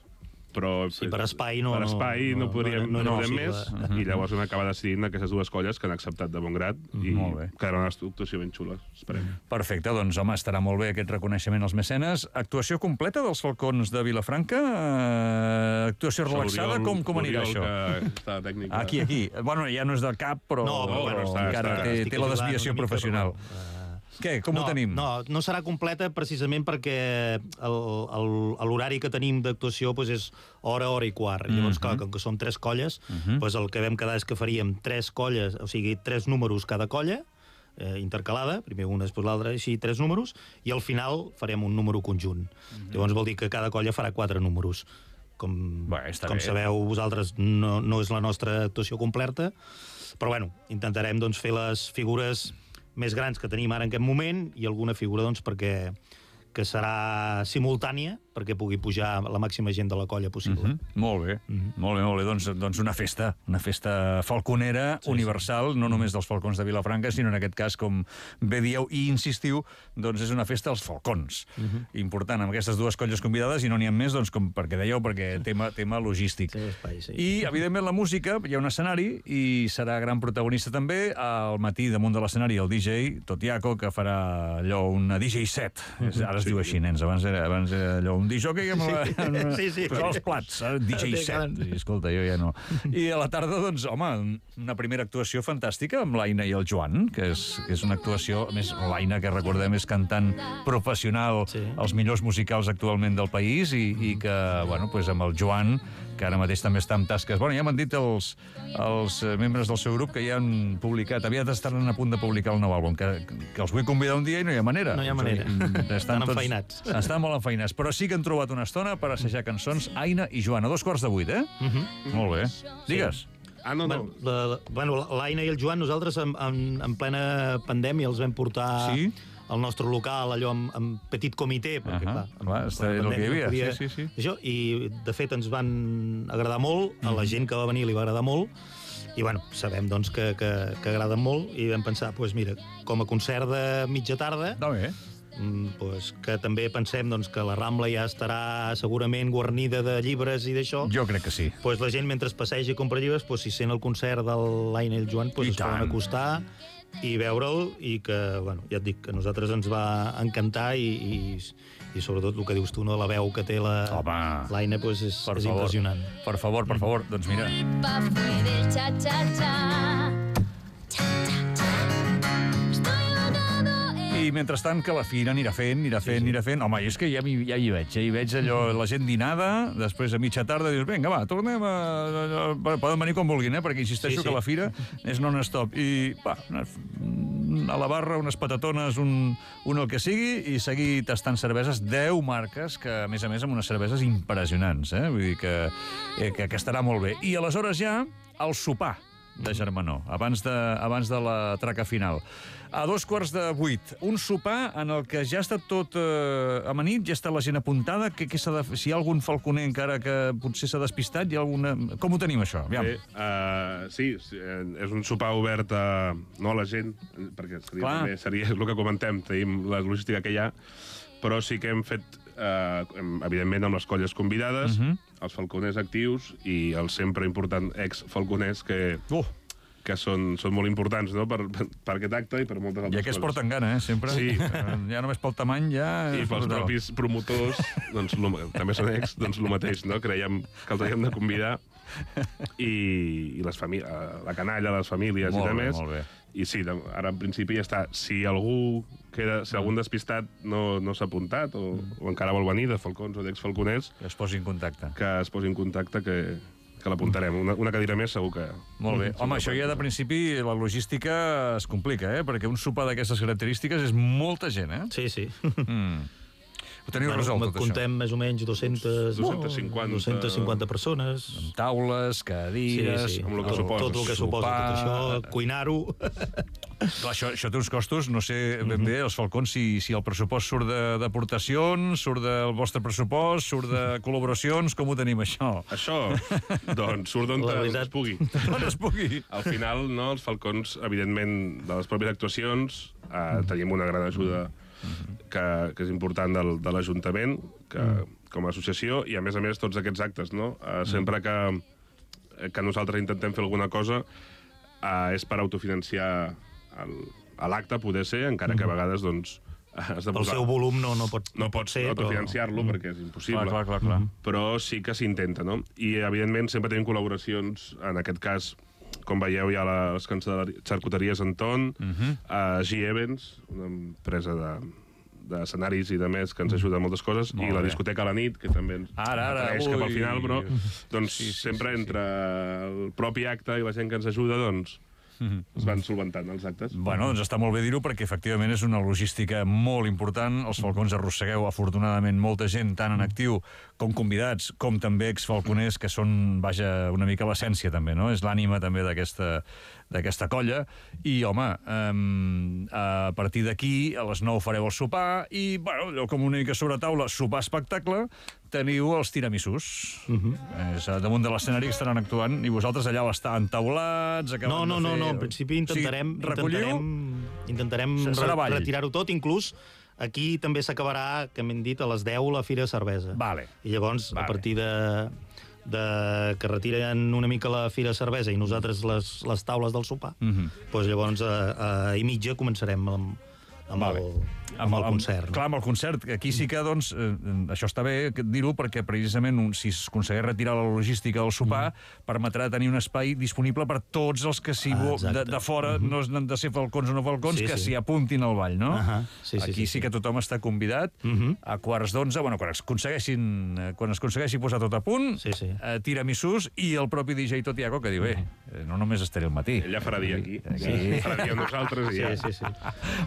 però... Sí, per espai no- Per espai no, no- podríem, no- no, no no era podem més, possible. i llavors hem acabat decidint aquestes dues colles que han acceptat de bon grat i Molt bé. quedarà una actuació ben xula, esperem. Perfecte, doncs, home, estarà molt bé aquest reconeixement als mecenes. Actuació completa dels falcons de Vilafranca? Eh, actuació relaxada? L'Oriol- Com, com anirà l'Oriol, això? que està de tècnic. Aquí, aquí. Bueno, ja no és del cap, però, No, però bueno, però està- encara està- té, estic té la ajudant desviació una mica, professional. però, eh, Què? Com no, ho tenim? No, no serà completa precisament perquè el- el- l'horari que tenim d'actuació doncs és hora, hora i quart. I llavors, clar, com que som tres colles, doncs el que vam quedar és que faríem tres colles, o sigui, tres números cada colla, eh, intercalada, primer una, després l'altra, així tres números, i al final farem un número conjunt. Llavors vol dir que cada colla farà quatre números. Com, Bé, està com bé. sabeu vosaltres, no, no és la nostra actuació completa, però bueno, intentarem doncs, fer les figures més grans que tenim ara en aquest moment i alguna figura doncs, perquè que serà simultània perquè pugui pujar la màxima gent de la colla possible. Mm, molt bé, mm. molt bé, molt bé. Doncs, doncs una festa, una festa falconera sí, universal, sí. no només dels falcons de Vilafranca, sinó en aquest cas, com bé dieu i insistiu, doncs és una festa als falcons. Mm -hmm. Important, amb aquestes dues colles convidades, i no n'hi ha més, doncs, com perquè dèieu, perquè tema, tema logístic. Sí, espai, sí. I, evidentment, la música, hi ha un escenari, i serà gran protagonista també, al matí damunt de l'escenari, el D J Totiaco, que farà allò, una D J set. Mm -hmm. Ara es diu així, nens, abans era, abans era allò, un disjockey amb, la, amb, Sí, sí. amb els plats, eh? D J set. I, escolta, jo ja no. I a la tarda, doncs, home, una primera actuació fantàstica amb l'Aina i el Joan, que és, que és una actuació, a més, l'Aina, que recordem, és cantant professional, Sí. els millors musicals actualment del país, i, i que, bueno, pues amb el Joan, que ara mateix també està en tasques. Bueno, ja m'han dit els, els membres del seu grup que ja han publicat, aviat estaran a punt de publicar el nou àlbum, que, que els vull convidar un dia i no hi ha manera. No hi ha manera. Estan, Estan tots, enfeinats. estan molt enfeinats, però sí que han trobat una estona per assajar cançons. Aina i Joan, a dos quarts de vuit, eh? Uh -huh. Molt bé. Digues. Ah, no, no. Bueno, la, bueno, l'Aina i el Joan, nosaltres en, en, en plena pandèmia els vam portar Sí? al nostre local, allò amb, amb petit comitè, perquè, Ahà, clar, clar, amb- està- amb era el que hi pandèmia havia, no sí, sí, sí. Això, i, de fet, ens van agradar molt, a la gent que va venir li va agradar molt, i, bueno, sabem, doncs, que, que, que agraden molt, i vam pensar, doncs, mira, com a concert de mitja tarda, Està bé. mm, doncs, que també pensem doncs, que la Rambla ja estarà segurament guarnida de llibres i d'això, Jo crec que sí. pues la gent, mentre passeja i compra llibres, pues, si sent el concert de l'Aina i el Joan, pues, I es poden tant. acostar i veure'l, i que, bueno, ja et dic, que a nosaltres ens va encantar, i, i, i sobretot el que dius tu, no, la veu que té la- Home. l'Aina, pues, és, Per és favor. impressionant. Per favor, per favor. Doncs mira. Pa fue del cha cha cha. Cha cha cha. Estoy ahogado en I mentrestant que la fira anirà fent, anirà fent, anirà fent. Home, és que ja, m'hi- ja hi veig, ja hi veig allò, la gent dinada, després a mitja tarda dius, vinga, va, tornem a... a- Poden venir com vulguin, eh? Perquè insisteixo Sí, sí. que la fira és non-stop. I, va, a la barra, unes patatones, un, un el que sigui, i seguir tastant cerveses, deu marques, que a més a més amb unes cerveses impressionants, eh? Vull dir que, eh, que, que estarà molt bé. I aleshores ja el sopar de Germanó, abans de, abans de la traca final. A dos quarts de vuit, un sopar en el que ja està tot eh, amanit, ja està la gent apuntada, que, que s'ha de, si hi ha algun falconer encara que potser s'ha despistat, hi ha alguna... Com ho tenim, això? Aviam. Sí, uh, sí, és un sopar obert a, no a la gent, perquè seria, també, seria el que comentem, tenim la logística que hi ha, però sí que hem fet, uh, evidentment, amb les colles convidades, uh -huh. els falconers actius i els sempre important ex-falconers que... Uh. que són, són molt importants, no?, per, per, per aquest acte i per moltes altres coses. I aquests porten gana, eh?, sempre. Sí. Ja només pel tamany, ja... I pels propis promotors, doncs, lo, també són ex, doncs el mateix, no?, creiem que els havíem de convidar, i, i les famílies, la canalla, les famílies molt i bé, demés. Molt bé. I sí, ara en principi ja està. Si algú queda, si algun despistat no, no s'ha apuntat, o, o encara vol venir de falcons o d'ex-falconers... Que es posi en contacte. Que es posi en contacte, que... que l'apuntarem. Una, una cadira més segur que... Molt bé. Home, això ja de principi la logística es complica, eh? Perquè un sopar d'aquestes característiques és molta gent, eh? Sí, sí. Mm. Ho teniu bueno, resolt, tot contem això? més o menys dues-centes, dues-centes cinquanta... dues-centes cinquanta persones. Amb taules, cadires... Sí, sí. Amb el que tot, suposa. tot el que suposa tot això, cuinar-ho... Clar, això, això té uns costos, no sé ben bé, els falcons, si, si el pressupost surt d'aportacions, surt del vostre pressupost, surt de col·laboracions, com ho tenim, això? Això, doncs, surt d'on es pugui. D'on es pugui. Al final, no, els falcons, evidentment, de les pròpies actuacions, eh, tenim una gran ajuda que, que és important del, de l'Ajuntament, que com a associació, i a més a més tots aquests actes, no? Eh, sempre que, que nosaltres intentem fer alguna cosa, eh, és per autofinanciar l'acte, poder ser, encara que a vegades, doncs, has de posar... El seu volum no, no pot, no pots ser, autofinanciar-lo, però... perquè és impossible. Clar, clar, clar, clar. Però sí que s'intenta, no? I, evidentment, sempre tenim col·laboracions, en aquest cas, com veieu, hi ha les xarcuteries Anton, uh -huh. uh, G-Events, una empresa de d'escenaris i de més que ens ajuda a moltes coses, Molt i la bé. discoteca a la nit, que també ens Ara, ara, apareix cap al ui. final, però doncs, Sí, sí, sempre sí, sí. entre el propi acte i la gent que ens ajuda, doncs, es van solventant els actes. Bueno, doncs està molt bé dir-ho, perquè efectivament és una logística molt important. Els falcons arrossegueu, afortunadament, molta gent, tant en actiu com convidats, com també ex-falconers, que són, vaja, una mica l'essència, també, no? És l'ànima, també, d'aquesta d'aquesta colla. I, home, um, a partir d'aquí, a les nou fareu el sopar, i, bueno, allò com una mica sobre taula, sopar espectacle, teniu els tiramisús. Uh -huh. És damunt de l'escenari que estaran actuant, i vosaltres allà l'estan entaulats, acaben No, no, de no, fer... no, en principi intentarem, O sigui, recolliu... intentarem, intentarem Serà ball. re retirar-ho tot, inclús aquí també s'acabarà, que m'hem dit, a les deu la Fira de Cervesa. Vale. I llavors, Vale. a partir de, de que retiren una mica la Fira de Cervesa i nosaltres les, les taules del sopar, Mhm. mm -hmm. doncs llavors a, a i mitja començarem amb, amb, Vale. el, amb, el concert. Amb, clar, amb el concert. Aquí sí que, doncs, eh, això està bé dir-ho, perquè precisament un, si es aconsegueix retirar la logística del sopar, mm. permetrà tenir un espai disponible per tots els que si Ah, de, de fora mm -hmm. no han de ser falcons o no falcons, Sí, que sí. s'hi apuntin al ball, no? Uh -huh. sí, sí, Aquí sí, sí, sí. que tothom està convidat. Mm -hmm. A quarts d'onze, bueno, quan es aconsegueixin, eh, quan es aconsegueixi posar tot a punt, Sí, sí. eh, tiramisús, i el propi D J Totiago que diu, eh, no només estaré al matí. Ell ja farà dia aquí. Aquí. Ja farà dia amb nosaltres i ja... Sí, sí, sí.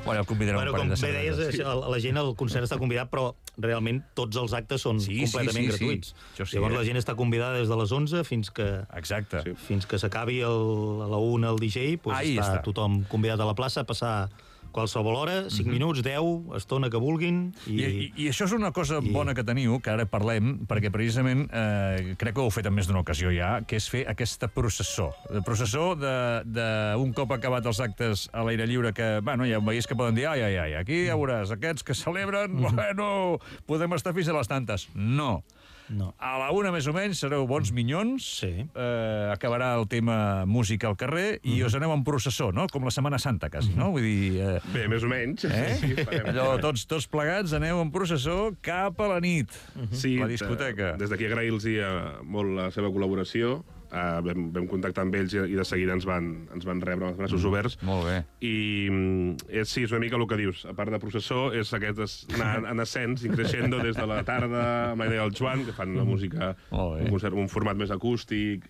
Bueno, el convidarem Bueno, un com parell de bé deies, cerveses. això, la gent al concert està convidat, però realment tots els actes són Sí, completament sí, sí, sí. gratuïts. Això sí, Llavors eh? la gent està convidada des de les onze fins que Exacte. Sí. fins que s'acabi el- a la una el D J, doncs Ahí està, està. tothom convidat a la plaça a passar qualsevol hora, cinc minuts, deu, estona que vulguin. I, I, i, I això és una cosa i- bona que teniu, que ara parlem, perquè precisament eh, crec que ho heu fet en més d'una ocasió ja, que és fer aquesta processó. La processó d'un cop acabat els actes a l'aire lliure, que, bueno, ja veies que poden dir, ai, ai, ai, aquí ja veuràs, aquests que celebren, bueno, podem estar fins a les tantes. No. no. A la una, més o menys, sereu bons minyons, Sí. eh, acabarà el tema música al carrer, i us aneu en processó, no? Com la Setmana Santa, quasi, no? Vull dir... Eh, Bé, més o menys. Eh? Sí, farem. Allò, tots, tots plegats aneu en processó cap a la nit. Sí, La discoteca. eh, Des d'aquí agrair-los molt la seva col·laboració. uh, vam, vam contactar amb ells i, i de seguida ens van, ens van rebre els braços mm. oberts. Molt bé. I és, sí, és una mica el que dius. A part de processó, és aquest es, anar en ascens i creixendo des de la tarda amb la idea del Joan, que fan una música, un, concert, un format més acústic,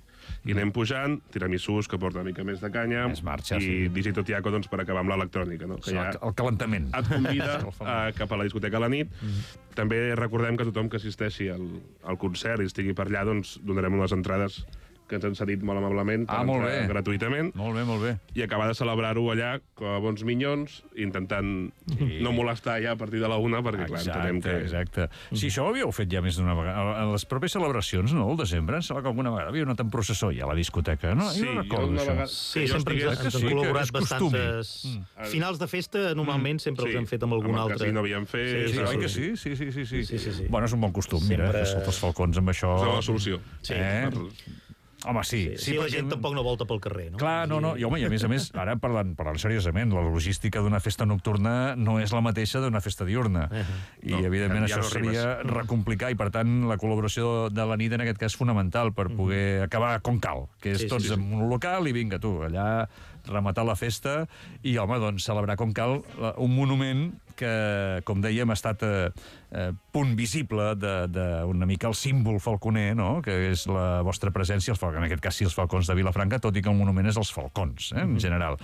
i anem pujant, tiramisús, que porta una mica més de canya, més marxa, i sí. Digito Tiaco, doncs, per acabar amb l'electrònica, no? Que sí, ja el calentament. Et convida a, cap a la discoteca a la nit. Mm. També recordem que tothom que assisteixi al, al concert i estigui per allà, doncs donarem unes entrades que ens han cedit molt amablement per ah, molt entrar bé. gratuïtament. Molt bé, molt bé. I acabar de celebrar-ho allà com a bons minyons, intentant sí. no molestar ja a partir de la una, perquè clar, exacte, entenem que... Exacte. Sí, això ho havíeu fet ja més d'una vegada. A les properes celebracions, no?, el desembre, em sembla que alguna vegada havia anat en processó ja a la discoteca, no? Sí, jo no recordo jo això. Vegada... Sí, sempre ens, ens han sí, col·laborat costumi. bastantes... Mm. Finals de festa, normalment, sempre sí. els hem fet amb algun amb altre. Amb el casino havíem fet... Sí, sí, però... oi que sí? Sí, sí, sí, sí. sí, sí, sí. Bueno, és un bon costum, Sempre... mira, que els falcons amb això... És la solució. Sí. Eh? Per... Home, sí. Sí, sí, sí, la gent tampoc no volta pel carrer, no? Clar, no, no. I, home, i a més a més, ara parlant, parlant seriosament, la logística d'una festa nocturna no és la mateixa d'una festa diurna. Uh -huh. I, no, evidentment, ja això no seria recomplicar, i, per tant, la col·laboració de la nit, en aquest cas, fonamental per poder acabar com cal, que és Sí, sí, tots sí, sí. en un local i vinga, tu, allà rematar la festa i, home, doncs, celebrar com cal un monument que, com dèiem, ha estat eh, eh, punt visible d'una mica el símbol falconer, no?, que és la vostra presència, els falcons, en aquest cas sí, els falcons de Vilafranca, tot i que el monument és els falcons, eh, en general.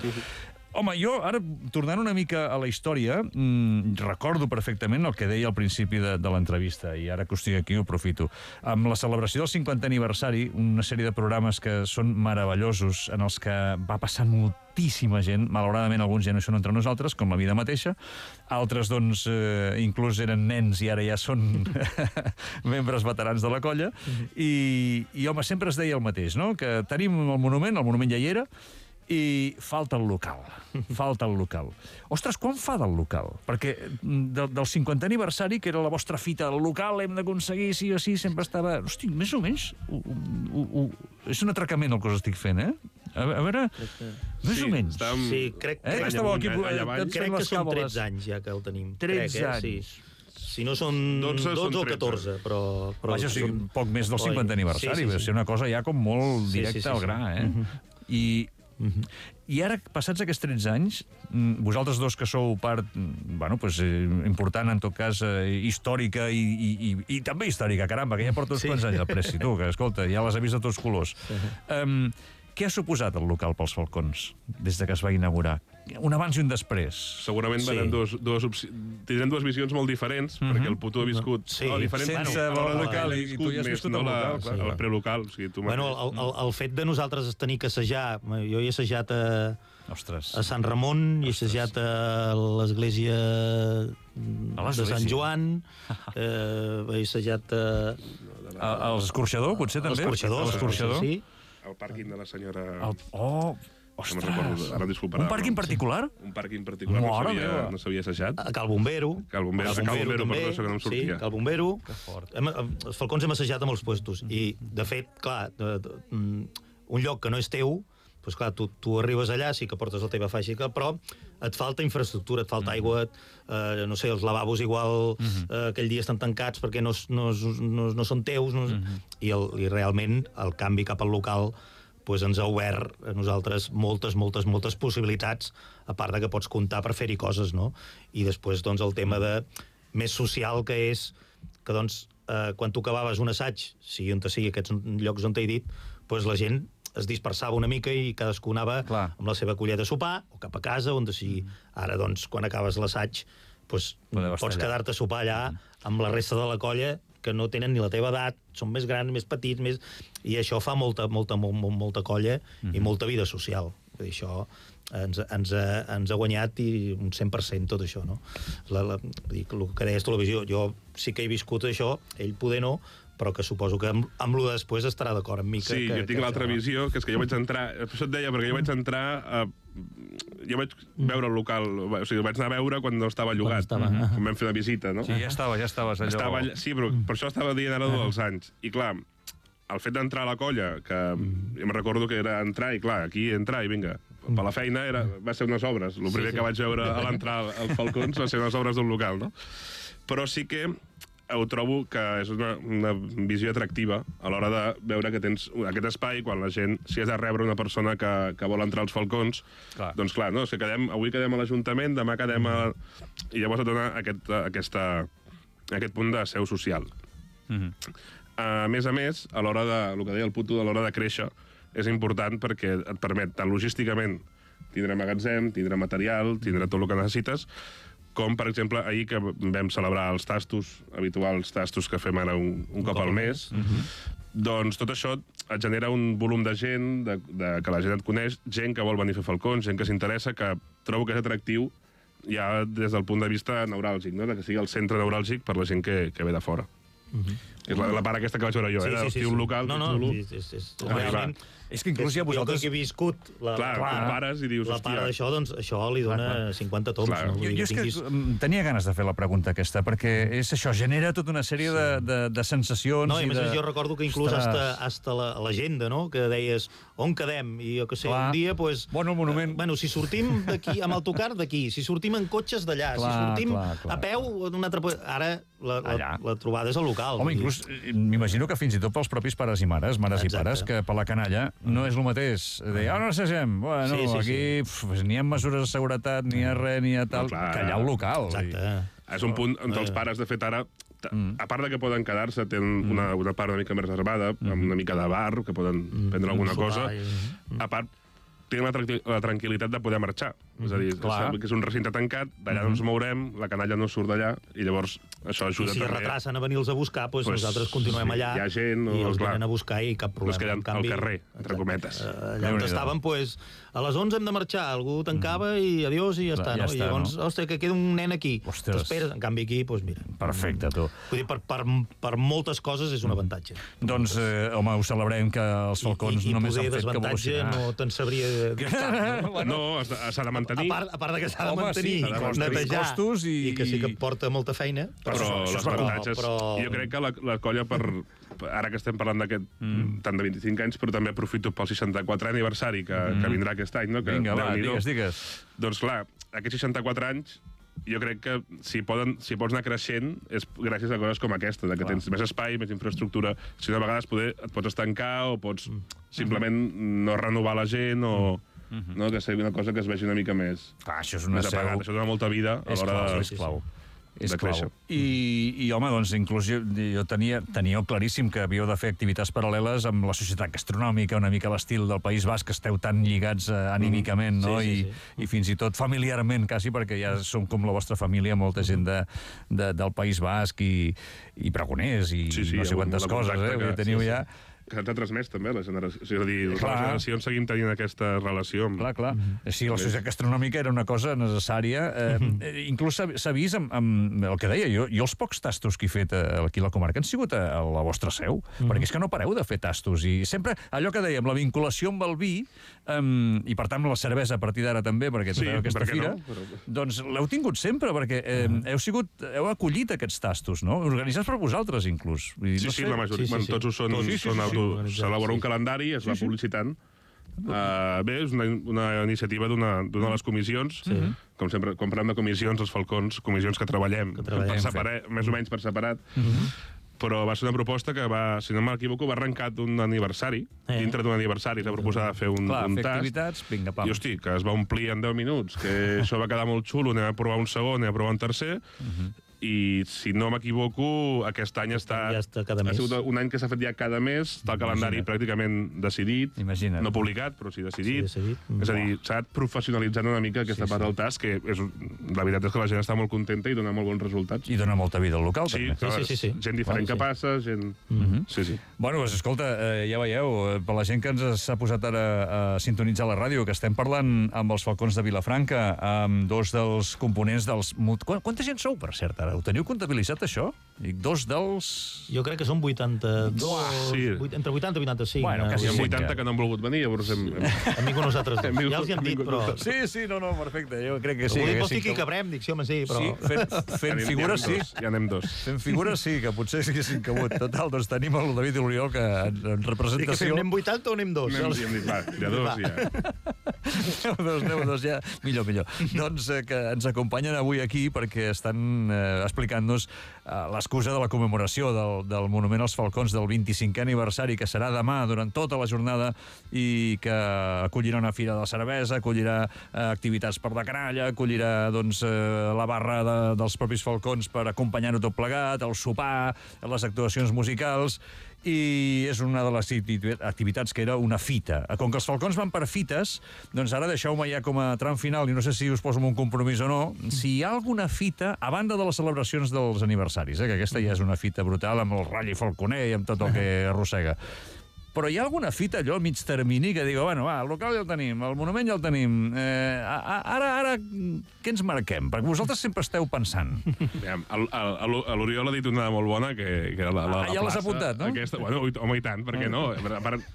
Home, jo, ara, tornant una mica a la història, mmm, recordo perfectament el que deia al principi de, de l'entrevista, i ara que ho estic aquí ho aprofito. Amb la celebració del cinquantè aniversari, una sèrie de programes que són meravellosos, en els que va passant moltíssima gent, malauradament alguns ja no hi són entre nosaltres, com la vida mateixa, altres, doncs, eh, inclús eren nens i ara ja són membres veterans de la colla, i, i, home, sempre es deia el mateix, no?, que tenim el monument, el monument ja hi era, i falta el local, falta el local. Ostres, quan fa del local? Perquè de, del cinquantè aniversari, que era la vostra fita del local, hem d'aconseguir, sí o sí, sempre estava... Hosti, més o menys... Uh, uh, uh, és un atracament el que us estic fent, eh? A, a veure, més sí, o menys. Estàvem... Sí, crec, Eh, que crec, estàveu aquí... allà avall. eh, crec les que són càboles. tretze anys ja que el tenim. tretze crec, eh? anys. Sí. Si no són dotze, dotze són o tretze. catorze, però... però Vaja, o sigui, són... poc més del cinquantè aniversari, Sí, sí, va sí. ser una cosa ja com molt Sí, directa sí, sí, al sí. gra, eh? I... I ara, passats aquests tretze anys, vosaltres dos que sou part, bueno, pues, eh, important, en tot cas, eh, històrica i, i, i, i també històrica, caramba, que ja porta uns Sí. quants anys al Preci, tu, que, escolta, ja les has vist de tots colors. Um, què ha suposat el local pels falcons des de que es va inaugurar? Un abans i un després. Segurament Sí. sí. dos, dos opci... tindrem dues visions molt diferents, mm -hmm. perquè el puto ha viscut... Sí. no, diferent, Sense bueno, el la- local, la- i tu ja has més, viscut no, el la- local, clar. El prelocal, o sigui, tu mateix. Bueno, el, el, el fet de nosaltres tenir que assajar... Jo he assajat a, Ostres. a Sant Ramon, he assajat a l'església A de l'església. Sant Joan, eh, he assajat a... A- L'escorxador, potser, també? L'escorxador, L'escorxador? sí. El pàrquing de la senyora... El... Oh, No ostres. me'n recordo, ara disculparà. Un pàrquing particular? Un pàrquing particular no Mare s'havia meva. no s'havia assajat. A Cal Bombero. Cal Bombero, Cal Cal Bombero, també, perdó, això que no em sortia. Sí, Cal Bombero. Que fort. Hem, els falcons hem assajat a molts puestos. I, de fet, clar, de, de, un lloc que no és teu, doncs clar, tu, tu arribes allà, sí que portes la teva faixa, però et falta infraestructura, et falta aigua, eh, no sé, els lavabos igual eh, aquell dia estan tancats perquè no, no, no, no són teus, no, i, el, i realment el canvi cap al local pues ens ha obert a nosaltres moltes, moltes, moltes possibilitats, a part de que pots comptar per fer-hi coses, no? I després, doncs, el tema de més social, que és que, doncs, eh, quan tu acabaves un assaig, sigui on sigui aquests llocs on t'he dit, pues la gent es dispersava una mica i cadascú anava Clar. amb la seva colleta a sopar o cap a casa, on sigui. Ara, doncs, quan acabes l'assaig, pues, Podeu estar pots allà. quedar-te a sopar allà amb la resta de la colla que no tenen ni la teva edat, són més grans, més petits, més... i això fa molta, molta, molt, molta colla Mhm. i molta vida social. Vull dir, això ens, ens, ha, ens ha guanyat i un cent per cent tot això, no? La, la, vull dir, el que deies televisió, jo sí que he viscut això, ell poder no, però que suposo que amb, amb lo de després estarà d'acord amb mi. Que, Sí, que, jo tinc que, l'altra no? visió, que és que jo vaig entrar... Per això et deia, perquè jo vaig entrar... A, jo vaig veure el local... O sigui, el vaig anar a veure quan no estava llogat. estava, Quan ah. vam fer la visita, no? Sí, ja estava, ja estaves allò... Estava allà, sí, però per això estava dient ara dels anys. I clar, el fet d'entrar a la colla, que jo me'n recordo que era entrar, i clar, aquí entrar i vinga, per la feina era, va ser unes obres. El primer sí. que vaig veure a l'entrar als Falcons va ser unes obres d'un local, no? Però sí que ho trobo que és una, una visió atractiva a l'hora de veure que tens aquest espai quan la gent, si has de rebre una persona que, que vol entrar als Falcons, clar. doncs clar, no? És que quedem, avui quedem a l'Ajuntament, demà quedem a... I llavors et dona aquest, aquesta, aquest punt de seu social. Mm-hmm. A més a més, a l'hora de, el que deia el Puto, a l'hora de créixer, és important perquè et permet tant logísticament tindre magatzem, tindre material, tindre tot el que necessites, com, per exemple, ahir que vam celebrar els tastos, habituals tastos que fem ara un, un cop al mes, mm-hmm. doncs tot això et genera un volum de gent, de, de, que la gent et coneix, gent que vol venir a fer falcons, gent que s'interessa, que trobo que és atractiu ja des del punt de vista neuràlgic, no? De que sigui el centre neuràlgic per la gent que, que ve de fora. Mm-hmm. És la, la part aquesta que vaig veure jo, sí, eh? Sí, sí, sí. Un local no, no, xulo. És, és, és, realment... És que inclús ja vosaltres... Jo que he viscut la, clar, la, la, pares i dius, la part d'això, doncs això li dona clar, clar. cinquanta toms. Clar. No? Jo, jo és que tinguis... tenia ganes de fer la pregunta aquesta, perquè és això, genera tota una sèrie sí. de, de, de sensacions... No, i a més de... jo recordo que inclús hasta, hasta l'agenda, no?, que deies on quedem, i jo que sé, clar. un dia, pues, bueno, monument... Eh, bueno, si sortim d'aquí, amb autocar d'aquí, si sortim en cotxes d'allà, si sortim clar, clar. a peu, un altre... ara la, la, la trobada és al local. Home, inclús m'imagino que fins i tot pels propis pares i mares, mares Exacte. i pares, que per la canalla no és el mateix de ah, no assagem, bueno, sí, sí, aquí sí. Pf, ni hi ha mesures de seguretat, ni hi ha res, ni hi ha tal, no, que allà al local. Exacte. I... És un punt on els pares, de fet, ara, mm. a part de que poden quedar-se, tenen mm. una, una part una mica més reservada, mm. amb una mica de bar, que poden mm. prendre alguna mm. cosa, mm. a part, tenen la, tranquil la tranquil·litat de poder marxar. Mm. És a dir, és, que és un recinte tancat, d'allà mm. no ens mourem, la canalla no surt d'allà, i llavors això ajuda I si també. Si retrasen a venir-los a buscar, doncs pues nosaltres continuem sí, allà hi ha gent, i els clar, venen a buscar i cap problema. No es queden canvi, al carrer, entre cometes. Allà on estaven, pues, a les onze hem de marxar, algú tancava mm. i adiós i ja està. Ja no? està I llavors, no? ostres, que queda un nen aquí. T'esperes, en canvi aquí, doncs mira. Perfecte, tu. Vull dir, per, per, per moltes coses és un avantatge. Doncs, eh, home, ho celebrem que els falcons I, i, només han fet que desavantatge no te'n sabria dir. No, s'ha de mantenir. A part, a part de que s'ha de mantenir, sí, i netejar, costos i... i que sí que porta molta feina. Però, però les avantatges... Però... Jo crec que la, la colla, per, ara que estem parlant d'aquest mm. tant de vint-i-cinc anys, però també aprofito pel seixanta-quatre aniversari que, mm. que vindrà aquest any, no? Que, Vinga, va, digues, digues. Doncs clar, aquests seixanta-quatre anys jo crec que si, poden, si pots anar creixent és gràcies a coses com aquesta, de que clar. tens més espai, més infraestructura. Si no, a vegades poder, et pots estancar o pots mm. simplement no renovar la gent o... Mm-hmm. no? Que sigui una cosa que es vegi una mica més... Clar, això és una seu... apagat. Això dona molta vida a l'hora de... És clau. És de clau. I, I, home, doncs, inclús jo, jo tenia, teníeu claríssim que havíeu de fer activitats paral·leles amb la societat gastronòmica, una mica l'estil del País Basc, que esteu tan lligats eh, anímicament, no? Sí, sí, sí. I, I fins i tot familiarment, quasi, perquè ja som com la vostra família, molta gent de, de, del País Basc i, i pregoners i sí, sí, no sé quantes coses, eh? Que teniu sí, ja... Sí. Que s'ha transmès també la generació. És a dir, les generacions seguim tenint aquesta relació. Amb... Clar, clar. Mm-hmm. Sí, la societat gastronòmica era una cosa necessària. Eh, mm-hmm. Inclús s'ha vist amb, amb el que deia jo. Jo els pocs tastos que he fet aquí a la comarca han sigut a, a la vostra seu, mm-hmm. perquè és que no pareu de fer tastos. I sempre, allò que dèiem, la vinculació amb el vi, um, i per tant la cervesa a partir d'ara també, perquè sí, aquesta fira, no? Però... doncs l'heu tingut sempre, perquè eh, heu sigut, heu acollit aquests tastos, no? Organitzats per vosaltres, inclús. I, sí, no sí, sé. la majoria, sí, sí, sí. tots ho són, sí, sí, són sí, sí. S'elabora un calendari, es va sí, sí. publicitant. Uh, bé, és una, una iniciativa d'una de les comissions. Sí. Com sempre, quan parlem de comissions, els falcons, comissions que treballem, que treballem per separat, més o menys per separat. Mm-hmm. Però va ser una proposta que va, si no m'equivoco, va arrencar d'un aniversari. Eh. Dintre d'un aniversari es va proposar de fer un, Clar, un fer tast. activitats, vinga, pam. I, hosti, que es va omplir en deu minuts, que això va quedar molt xulo, anem a provar un segon, anem a provar un tercer, uh-huh. i si no m'equivoco, aquest any està... Ja està cada mes. Ha sigut un any que s'ha fet ja cada mes, està el calendari Imagina't. pràcticament decidit, Imagina't. no publicat, però sí decidit. Sí, decidit. És a dir, s'ha anat professionalitzant una mica aquesta sí, part sí. del tast, que és, la veritat és que la gent està molt contenta i dona molt bons resultats. I dona molta vida al local, sí, també. Sí, sí, sí, sí. Gent diferent bueno, que sí. passa, gent... Mm-hmm. Sí, sí. Bueno, doncs, escolta, eh, ja veieu, per la gent que ens s'ha posat ara a sintonitzar la ràdio, que estem parlant amb els Falcons de Vilafranca, amb dos dels components dels... Qu Quanta gent sou, per cert, ara? Ho teniu comptabilitzat, això? Dic, dos dels... Jo crec que són vuitanta-dos, sí. entre vuitanta i vuitanta-cinc. Bueno, quasi hi ha vuitanta que no han volgut venir, llavors hem... hem... hem vingut nosaltres. Hem vingut, ja els hi hem dit, però... Sí, sí, no, no, perfecte, jo crec que sí. Però vols dir que hi cabrem? Dic, sí, home, sí, però... Sí, fent, fent figures, sí. Ja anem dos. Fent figures, sí, que potser sí que s'hi cabut. Total, doncs tenim el David i l'Oriol, que en representació... I que fem, anem vuitanta o anem dos? Anem, hem dit, va, ja dos, ja. deu dos, deu dos, ja. Millor, millor. Doncs eh, que ens acompanyen avui aquí perquè estan eh, explicant-nos eh, l'excusa de la commemoració del, del Monument als Falcons del vint-i-cinquè aniversari, que serà demà durant tota la jornada i que acollirà una fira de la cervesa, acollirà eh, activitats per la canalla, acollirà doncs, eh, la barra de, dels propis Falcons per acompanyar-ho tot plegat, el sopar, les actuacions musicals, i és una de les activitats que era una fita. Com que els Falcons van per fites, doncs ara deixeu-me ja com a tram final, i no sé si us poso en un compromís o no, si hi ha alguna fita, a banda de les celebracions dels aniversaris, eh, que aquesta ja és una fita brutal amb el Rally Falconer i amb tot el que arrossega. Però hi ha alguna fita allò al mig termini que digo, bueno, va, el local ja el tenim, el monument ja el tenim, eh, ara, ara, què ens marquem? Perquè vosaltres sempre esteu pensant. L'Oriol ha dit una molt bona, que, que la, la, ah, ja la l'has apuntat, no? Aquesta, bueno, home, i tant, perquè no? A part,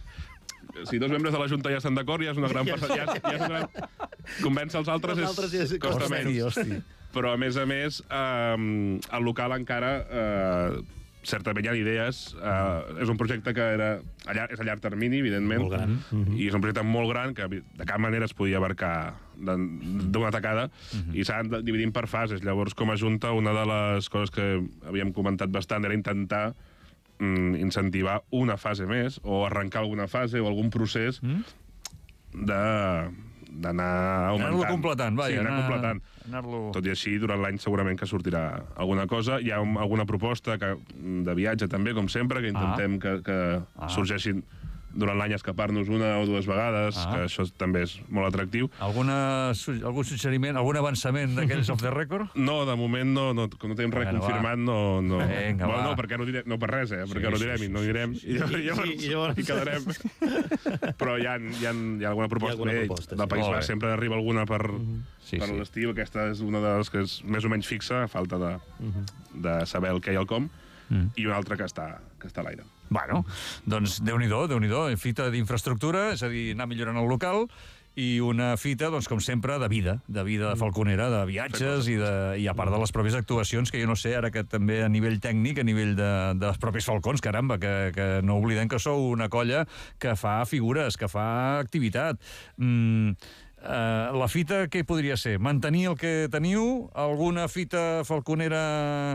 si dos membres de la Junta ja estan d'acord, ja és una gran percentatge. Ja, ja és una gran... Convèncer els altres és, és costa menys. Però, a més a més, eh, el local encara... Eh, certament hi ha idees. Uh, és un projecte que era a llarg, és a llarg termini, evidentment. Molt gran. I és un projecte molt gran que de cap manera es podia abarcar d'una tacada uh-huh. i s'han dividint per fases. Llavors, com a Junta, una de les coses que havíem comentat bastant era intentar mm, incentivar una fase més o arrencar alguna fase o algun procés uh-huh. de... d'anar augmentant. Anar-lo completant, vaja. Sí, anar, anar completant. Anar-lo... Tot i així, durant l'any segurament que sortirà alguna cosa. Hi ha un, alguna proposta que, de viatge també, com sempre, que intentem ah. que, que ah. sorgeixin durant l'any escapar-nos una o dues vegades, ah. que això també és molt atractiu. Alguna, algun suggeriment, algun avançament d'aquells off the record? No, de moment no, no com no tenim res bueno, confirmat, no... no. Vinga, bueno, no, perquè no, direm, no per res, eh? Perquè sí, no direm sí, sí, i no direm, sí, sí. I, llavors, sí, i llavors hi quedarem. Però hi ha, hi, ha, hi ha alguna proposta, hi ha alguna proposta bé, del País Basc sempre arriba alguna per, uh-huh. sí, per sí. l'estiu. Aquesta és una de les que és més o menys fixa, a falta de, uh-huh. de saber el què i el com, uh-huh. i una altra que està, que està a l'aire. Bueno, doncs Déu-n'hi-do, Déu-n'hi-do, fita d'infraestructura, és a dir, anar millorant el local, i una fita, doncs, com sempre, de vida, de vida falconera, de viatges, i, de, i a part de les pròpies actuacions, que jo no sé, ara que també a nivell tècnic, a nivell de, dels propis falcons, caramba, que, que no oblidem que sou una colla que fa figures, que fa activitat. Mm, Uh, la fita, què podria ser? Mantenir el que teniu? Alguna fita falconera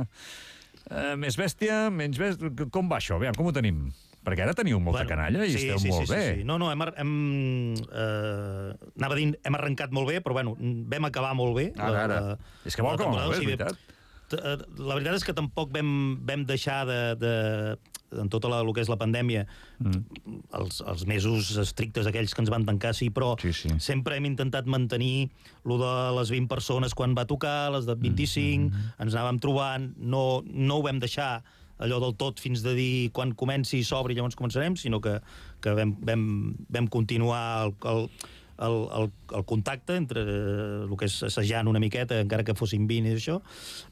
uh, més bèstia? Menys bèstia? Com va això? Aviam, com ho tenim? Perquè ara teniu molta bueno, canalla i sí, esteu sí, molt sí, bé. Sí, sí. No, no, hem, hem, eh, anava a dir, hem arrencat molt bé, però bueno, vam acabar molt bé. Ara, ara. La, la, és que vol com molt bé, és veritat. La veritat és que tampoc vam, vam deixar de, de en tota la, el que és la pandèmia, mm. els, els mesos estrictes aquells que ens van tancar, sí, però sí, sí. sempre hem intentat mantenir lo de les vint persones quan va tocar, les de vint-i-cinc, mm. ens anàvem trobant, no, no ho vam deixar allò del tot fins de dir quan comenci i s'obri llavors començarem, sinó que, que vam, vam, vam continuar el, el, el, el, el contacte entre el que és assajant una miqueta, encara que fossin vint i això.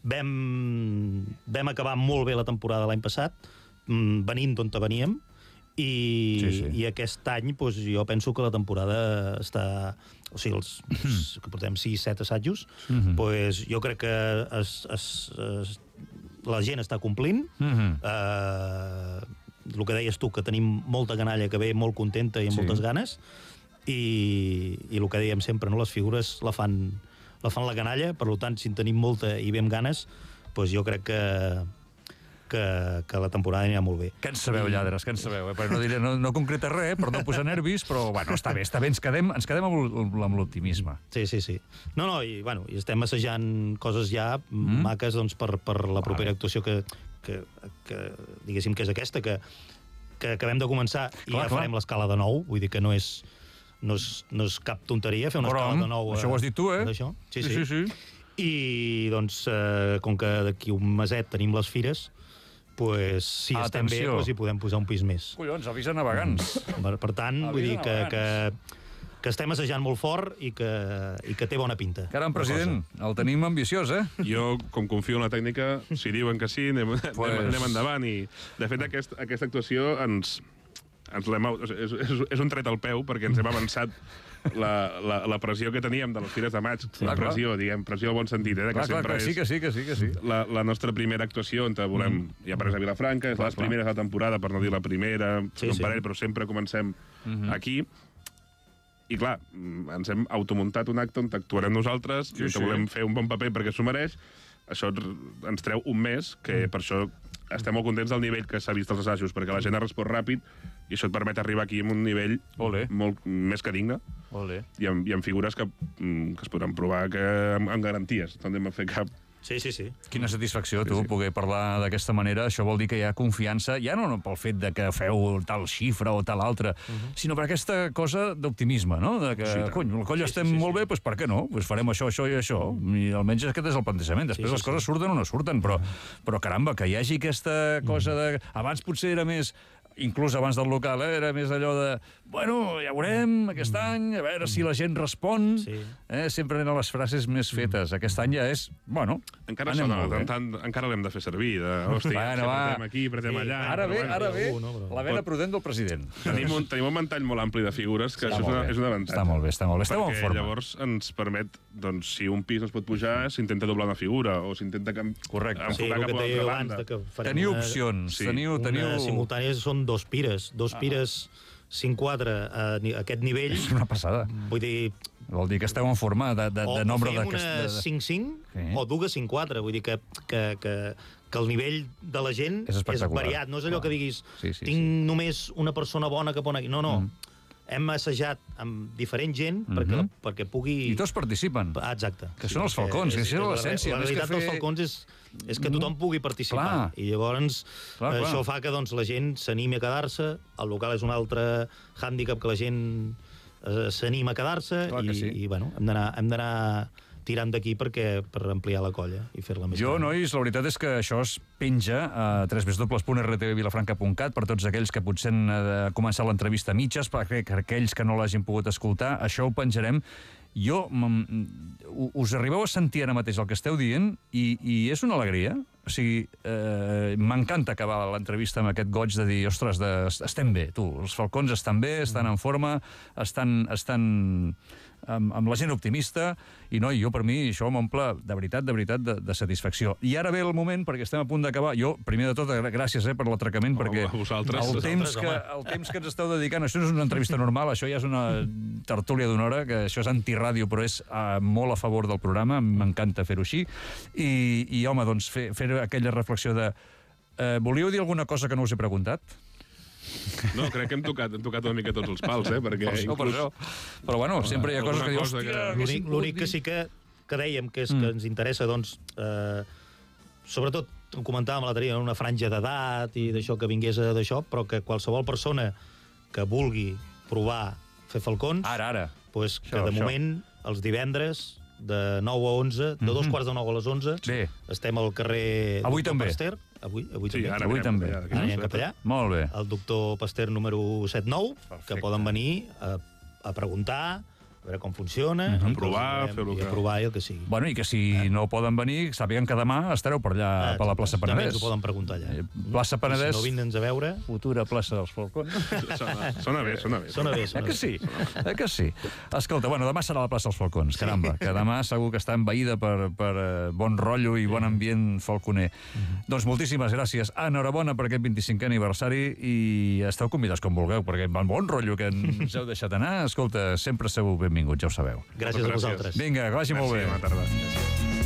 Vam, vam acabar molt bé la temporada l'any passat, venint d'on veníem, i, sí, sí. i aquest any doncs, jo penso que la temporada està... O sigui, els, els que portem sis set assajos, mm-hmm. doncs, jo crec que es, es, es, la gent està complint. Mm-hmm. eh, el que deies tu, que tenim molta canalla que ve molt contenta i amb sí. moltes ganes, i, i el que dèiem sempre, no? Les figures la fan, la fan la canalla, per tant, si en tenim molta i ve amb ganes, doncs jo crec que Que, que la temporada anirà molt bé. Què en sabeu, lladres, què en sabeu? Eh? No, diré, no, no concreta res, per no posar nervis, però bueno, està bé, està bé, ens quedem, ens quedem amb l'optimisme. Sí, sí, sí. No, no, i, bueno, i estem assajant coses ja mm. maques doncs, per, per la propera vale. actuació que, que, que, diguéssim, que és aquesta, que, que acabem de començar i clar, ja clar. farem l'escala de nou, vull dir que no és, no és, no és cap tonteria fer una però, escala de nou. Això ho has dit tu, eh? Sí, sí. sí, sí, sí. I, doncs, eh, com que d'aquí un meset tenim les fires, pues, si Atenció. estem bé, pues, hi podem posar un pis més. Collons, avisa navegants. Per, per tant, avisa vull dir que, que, que estem assajant molt fort i que, i que té bona pinta. Caram, president, el tenim ambiciós, eh? Jo, com confio en la tècnica, si diuen que sí, anem, pues... anem, anem endavant. I, de fet, aquest, aquesta actuació ens, ens l'hem... És, és, és un tret al peu, perquè ens hem avançat la, la, la pressió que teníem de les fires de maig, sí, la pressió, clar. diguem, pressió al bon sentit, eh, que clar, sempre clar, clar, sí, que sí, que sí, que sí. La, la nostra primera actuació on volem, mm. ja apareix a Vilafranca, és clar, les primeres de la temporada, per no dir la primera, sí, un sí. parell, però sempre comencem mm-hmm. aquí. I clar, ens hem automuntat un acte on actuarem nosaltres, sí, sí. volem fer un bon paper perquè s'ho mereix. Això ens treu un mes, que per això estem molt contents del nivell que s'ha vist als assajos, perquè la gent ha respost ràpid i això et permet arribar aquí amb un nivell Olé. molt més que digne. Olé. I amb, i amb figures que, que es podran provar que amb, amb garanties. No anem a fer cap... Sí, sí, sí. Quina satisfacció, tu, sí, sí. poder parlar d'aquesta manera. Això vol dir que hi ha confiança, ja no pel fet de que feu tal xifra o tal altra, uh -huh. sinó per aquesta cosa d'optimisme, no? De que, sí, cony, el coll sí, estem sí, sí, molt sí. bé, doncs per què no? Pues farem això, això i això. I almenys aquest és el plantejament. Després sí, sí, les coses sí. surten o no surten, però, però caramba, que hi hagi aquesta cosa de... Abans potser era més... inclús abans del local, eh? Era més allò de bueno, ja veurem aquest any, a veure si la gent respon. Sí. Eh? Sempre eren les frases més fetes. Aquest any ja és, bueno, encara sona, tant, tant, encara l'hem de fer servir. De, hòstia, bueno, si apretem aquí, apretem sí. allà... Ara ve, bueno, ara ve no, però... la vena prudent del president. Tenim un, tenim un ventall molt ampli de figures, que està això és, una, és un avantatge. Està molt bé, està molt bé. Esteu en forma. Perquè llavors ens permet, doncs, si un pis es pot pujar, s'intenta doblar una figura, o s'intenta Correcte. enfocar sí, cap a l'altra banda. Teniu opcions. Sí. Teniu, teniu... Simultànies són dos pires, dos ah. pires cinc quatre a aquest nivell. És una passada. Vull dir... Vol dir que esteu en forma de, de, de nombre de... O fem una cinc cinc sí. o dues cinc quatre. Vull dir que, que, que, que el nivell de la gent és, és variat. No és allò Clar. que diguis sí, sí, tinc sí. només una persona bona que pon aquí. No, no. Mm. Hem assajat amb diferent gent mm -hmm. perquè, perquè pugui... I tots participen. Ah, exacte. Que sí, són els falcons, que això és l'essència. La, la realitat fer... dels falcons és, és que tothom pugui participar. Clar. I llavors clar, clar. això fa que doncs, la gent s'animi a quedar-se. El local és un altre hàndicap que la gent eh, s'anima a quedar-se. I, sí. i bueno, hem d'anar tirant d'aquí perquè per ampliar la colla i fer-la més Jo, gran. nois, la veritat és que això es penja a w w w punt r t v vilafranca punt cat per tots aquells que potser han de començar l'entrevista a mitges, perquè aquells que no l'hagin pogut escoltar, això ho penjarem. Jo, us arribeu a sentir ara mateix el que esteu dient i, i és una alegria. O sigui, eh, m'encanta acabar l'entrevista amb aquest goig de dir, ostres, de, estem bé, tu, els falcons estan bé, estan en forma, estan... estan amb, amb la gent optimista, i no, i jo per mi això m'omple de veritat, de veritat, de, de satisfacció. I ara ve el moment, perquè estem a punt d'acabar, jo, primer de tot, gràcies eh, per l'atracament, oh, perquè vosaltres, el, temps que, el temps que ens esteu dedicant, això no és una entrevista normal, això ja és una tertúlia d'una hora, que això és antiràdio, però és uh, molt a favor del programa, m'encanta fer-ho així, i, i home, doncs, fer, fer aquella reflexió de uh, volíeu dir alguna cosa que no us he preguntat? No, crec que hem tocat, hem tocat una mica tots els pals, eh? Perquè per això, inclús... per això. Però bueno, sempre hi ha coses que dius, hòstia... Que... L'únic que sí que, que dèiem que, és, mm. que ens interessa, doncs, eh, sobretot, ho comentàvem l'altre dia, una franja d'edat i d'això que vingués d'això, però que qualsevol persona que vulgui provar fer falcons... Ara, ara. Pues, que això, de això. moment, els divendres, de nou a onze, de mm-hmm. dos quarts de nou a les onze, bé. Estem al carrer... Avui també. Pasteur. Avui, avui sí, també. Ara avui també. Ara anem cap allà. Molt bé. El doctor Pasteur número setanta nou, que poden venir a, a preguntar, a veure com funciona, mm-hmm. a provar, fer-ho que... I a provar i el que sigui. Bueno, i que si eh. no poden venir, sàpiguen que demà estareu per allà, ah, per la plaça Penedès. També ens ho poden preguntar allà. Plaça Penedès. Si no vindre'ns a veure... Futura plaça dels Falcons. Sona, sona bé, sona bé. Sona bé, sona eh que sí? Eh que sí? Escolta, bueno, demà serà la plaça dels Falcons, caramba, que demà segur que està envaïda per, per uh, bon rotllo i bon ambient falconer. Mm-hmm. Doncs moltíssimes gràcies. Enhorabona per aquest vint-i-cinquè aniversari i esteu convidats com vulgueu, perquè amb bon rotllo que ens heu deixat anar, escolta, sempre sou benvinguts, ja ho sabeu. Gràcies a vosaltres. Vinga, que vagi molt bé. Bona tarda. Gràcies.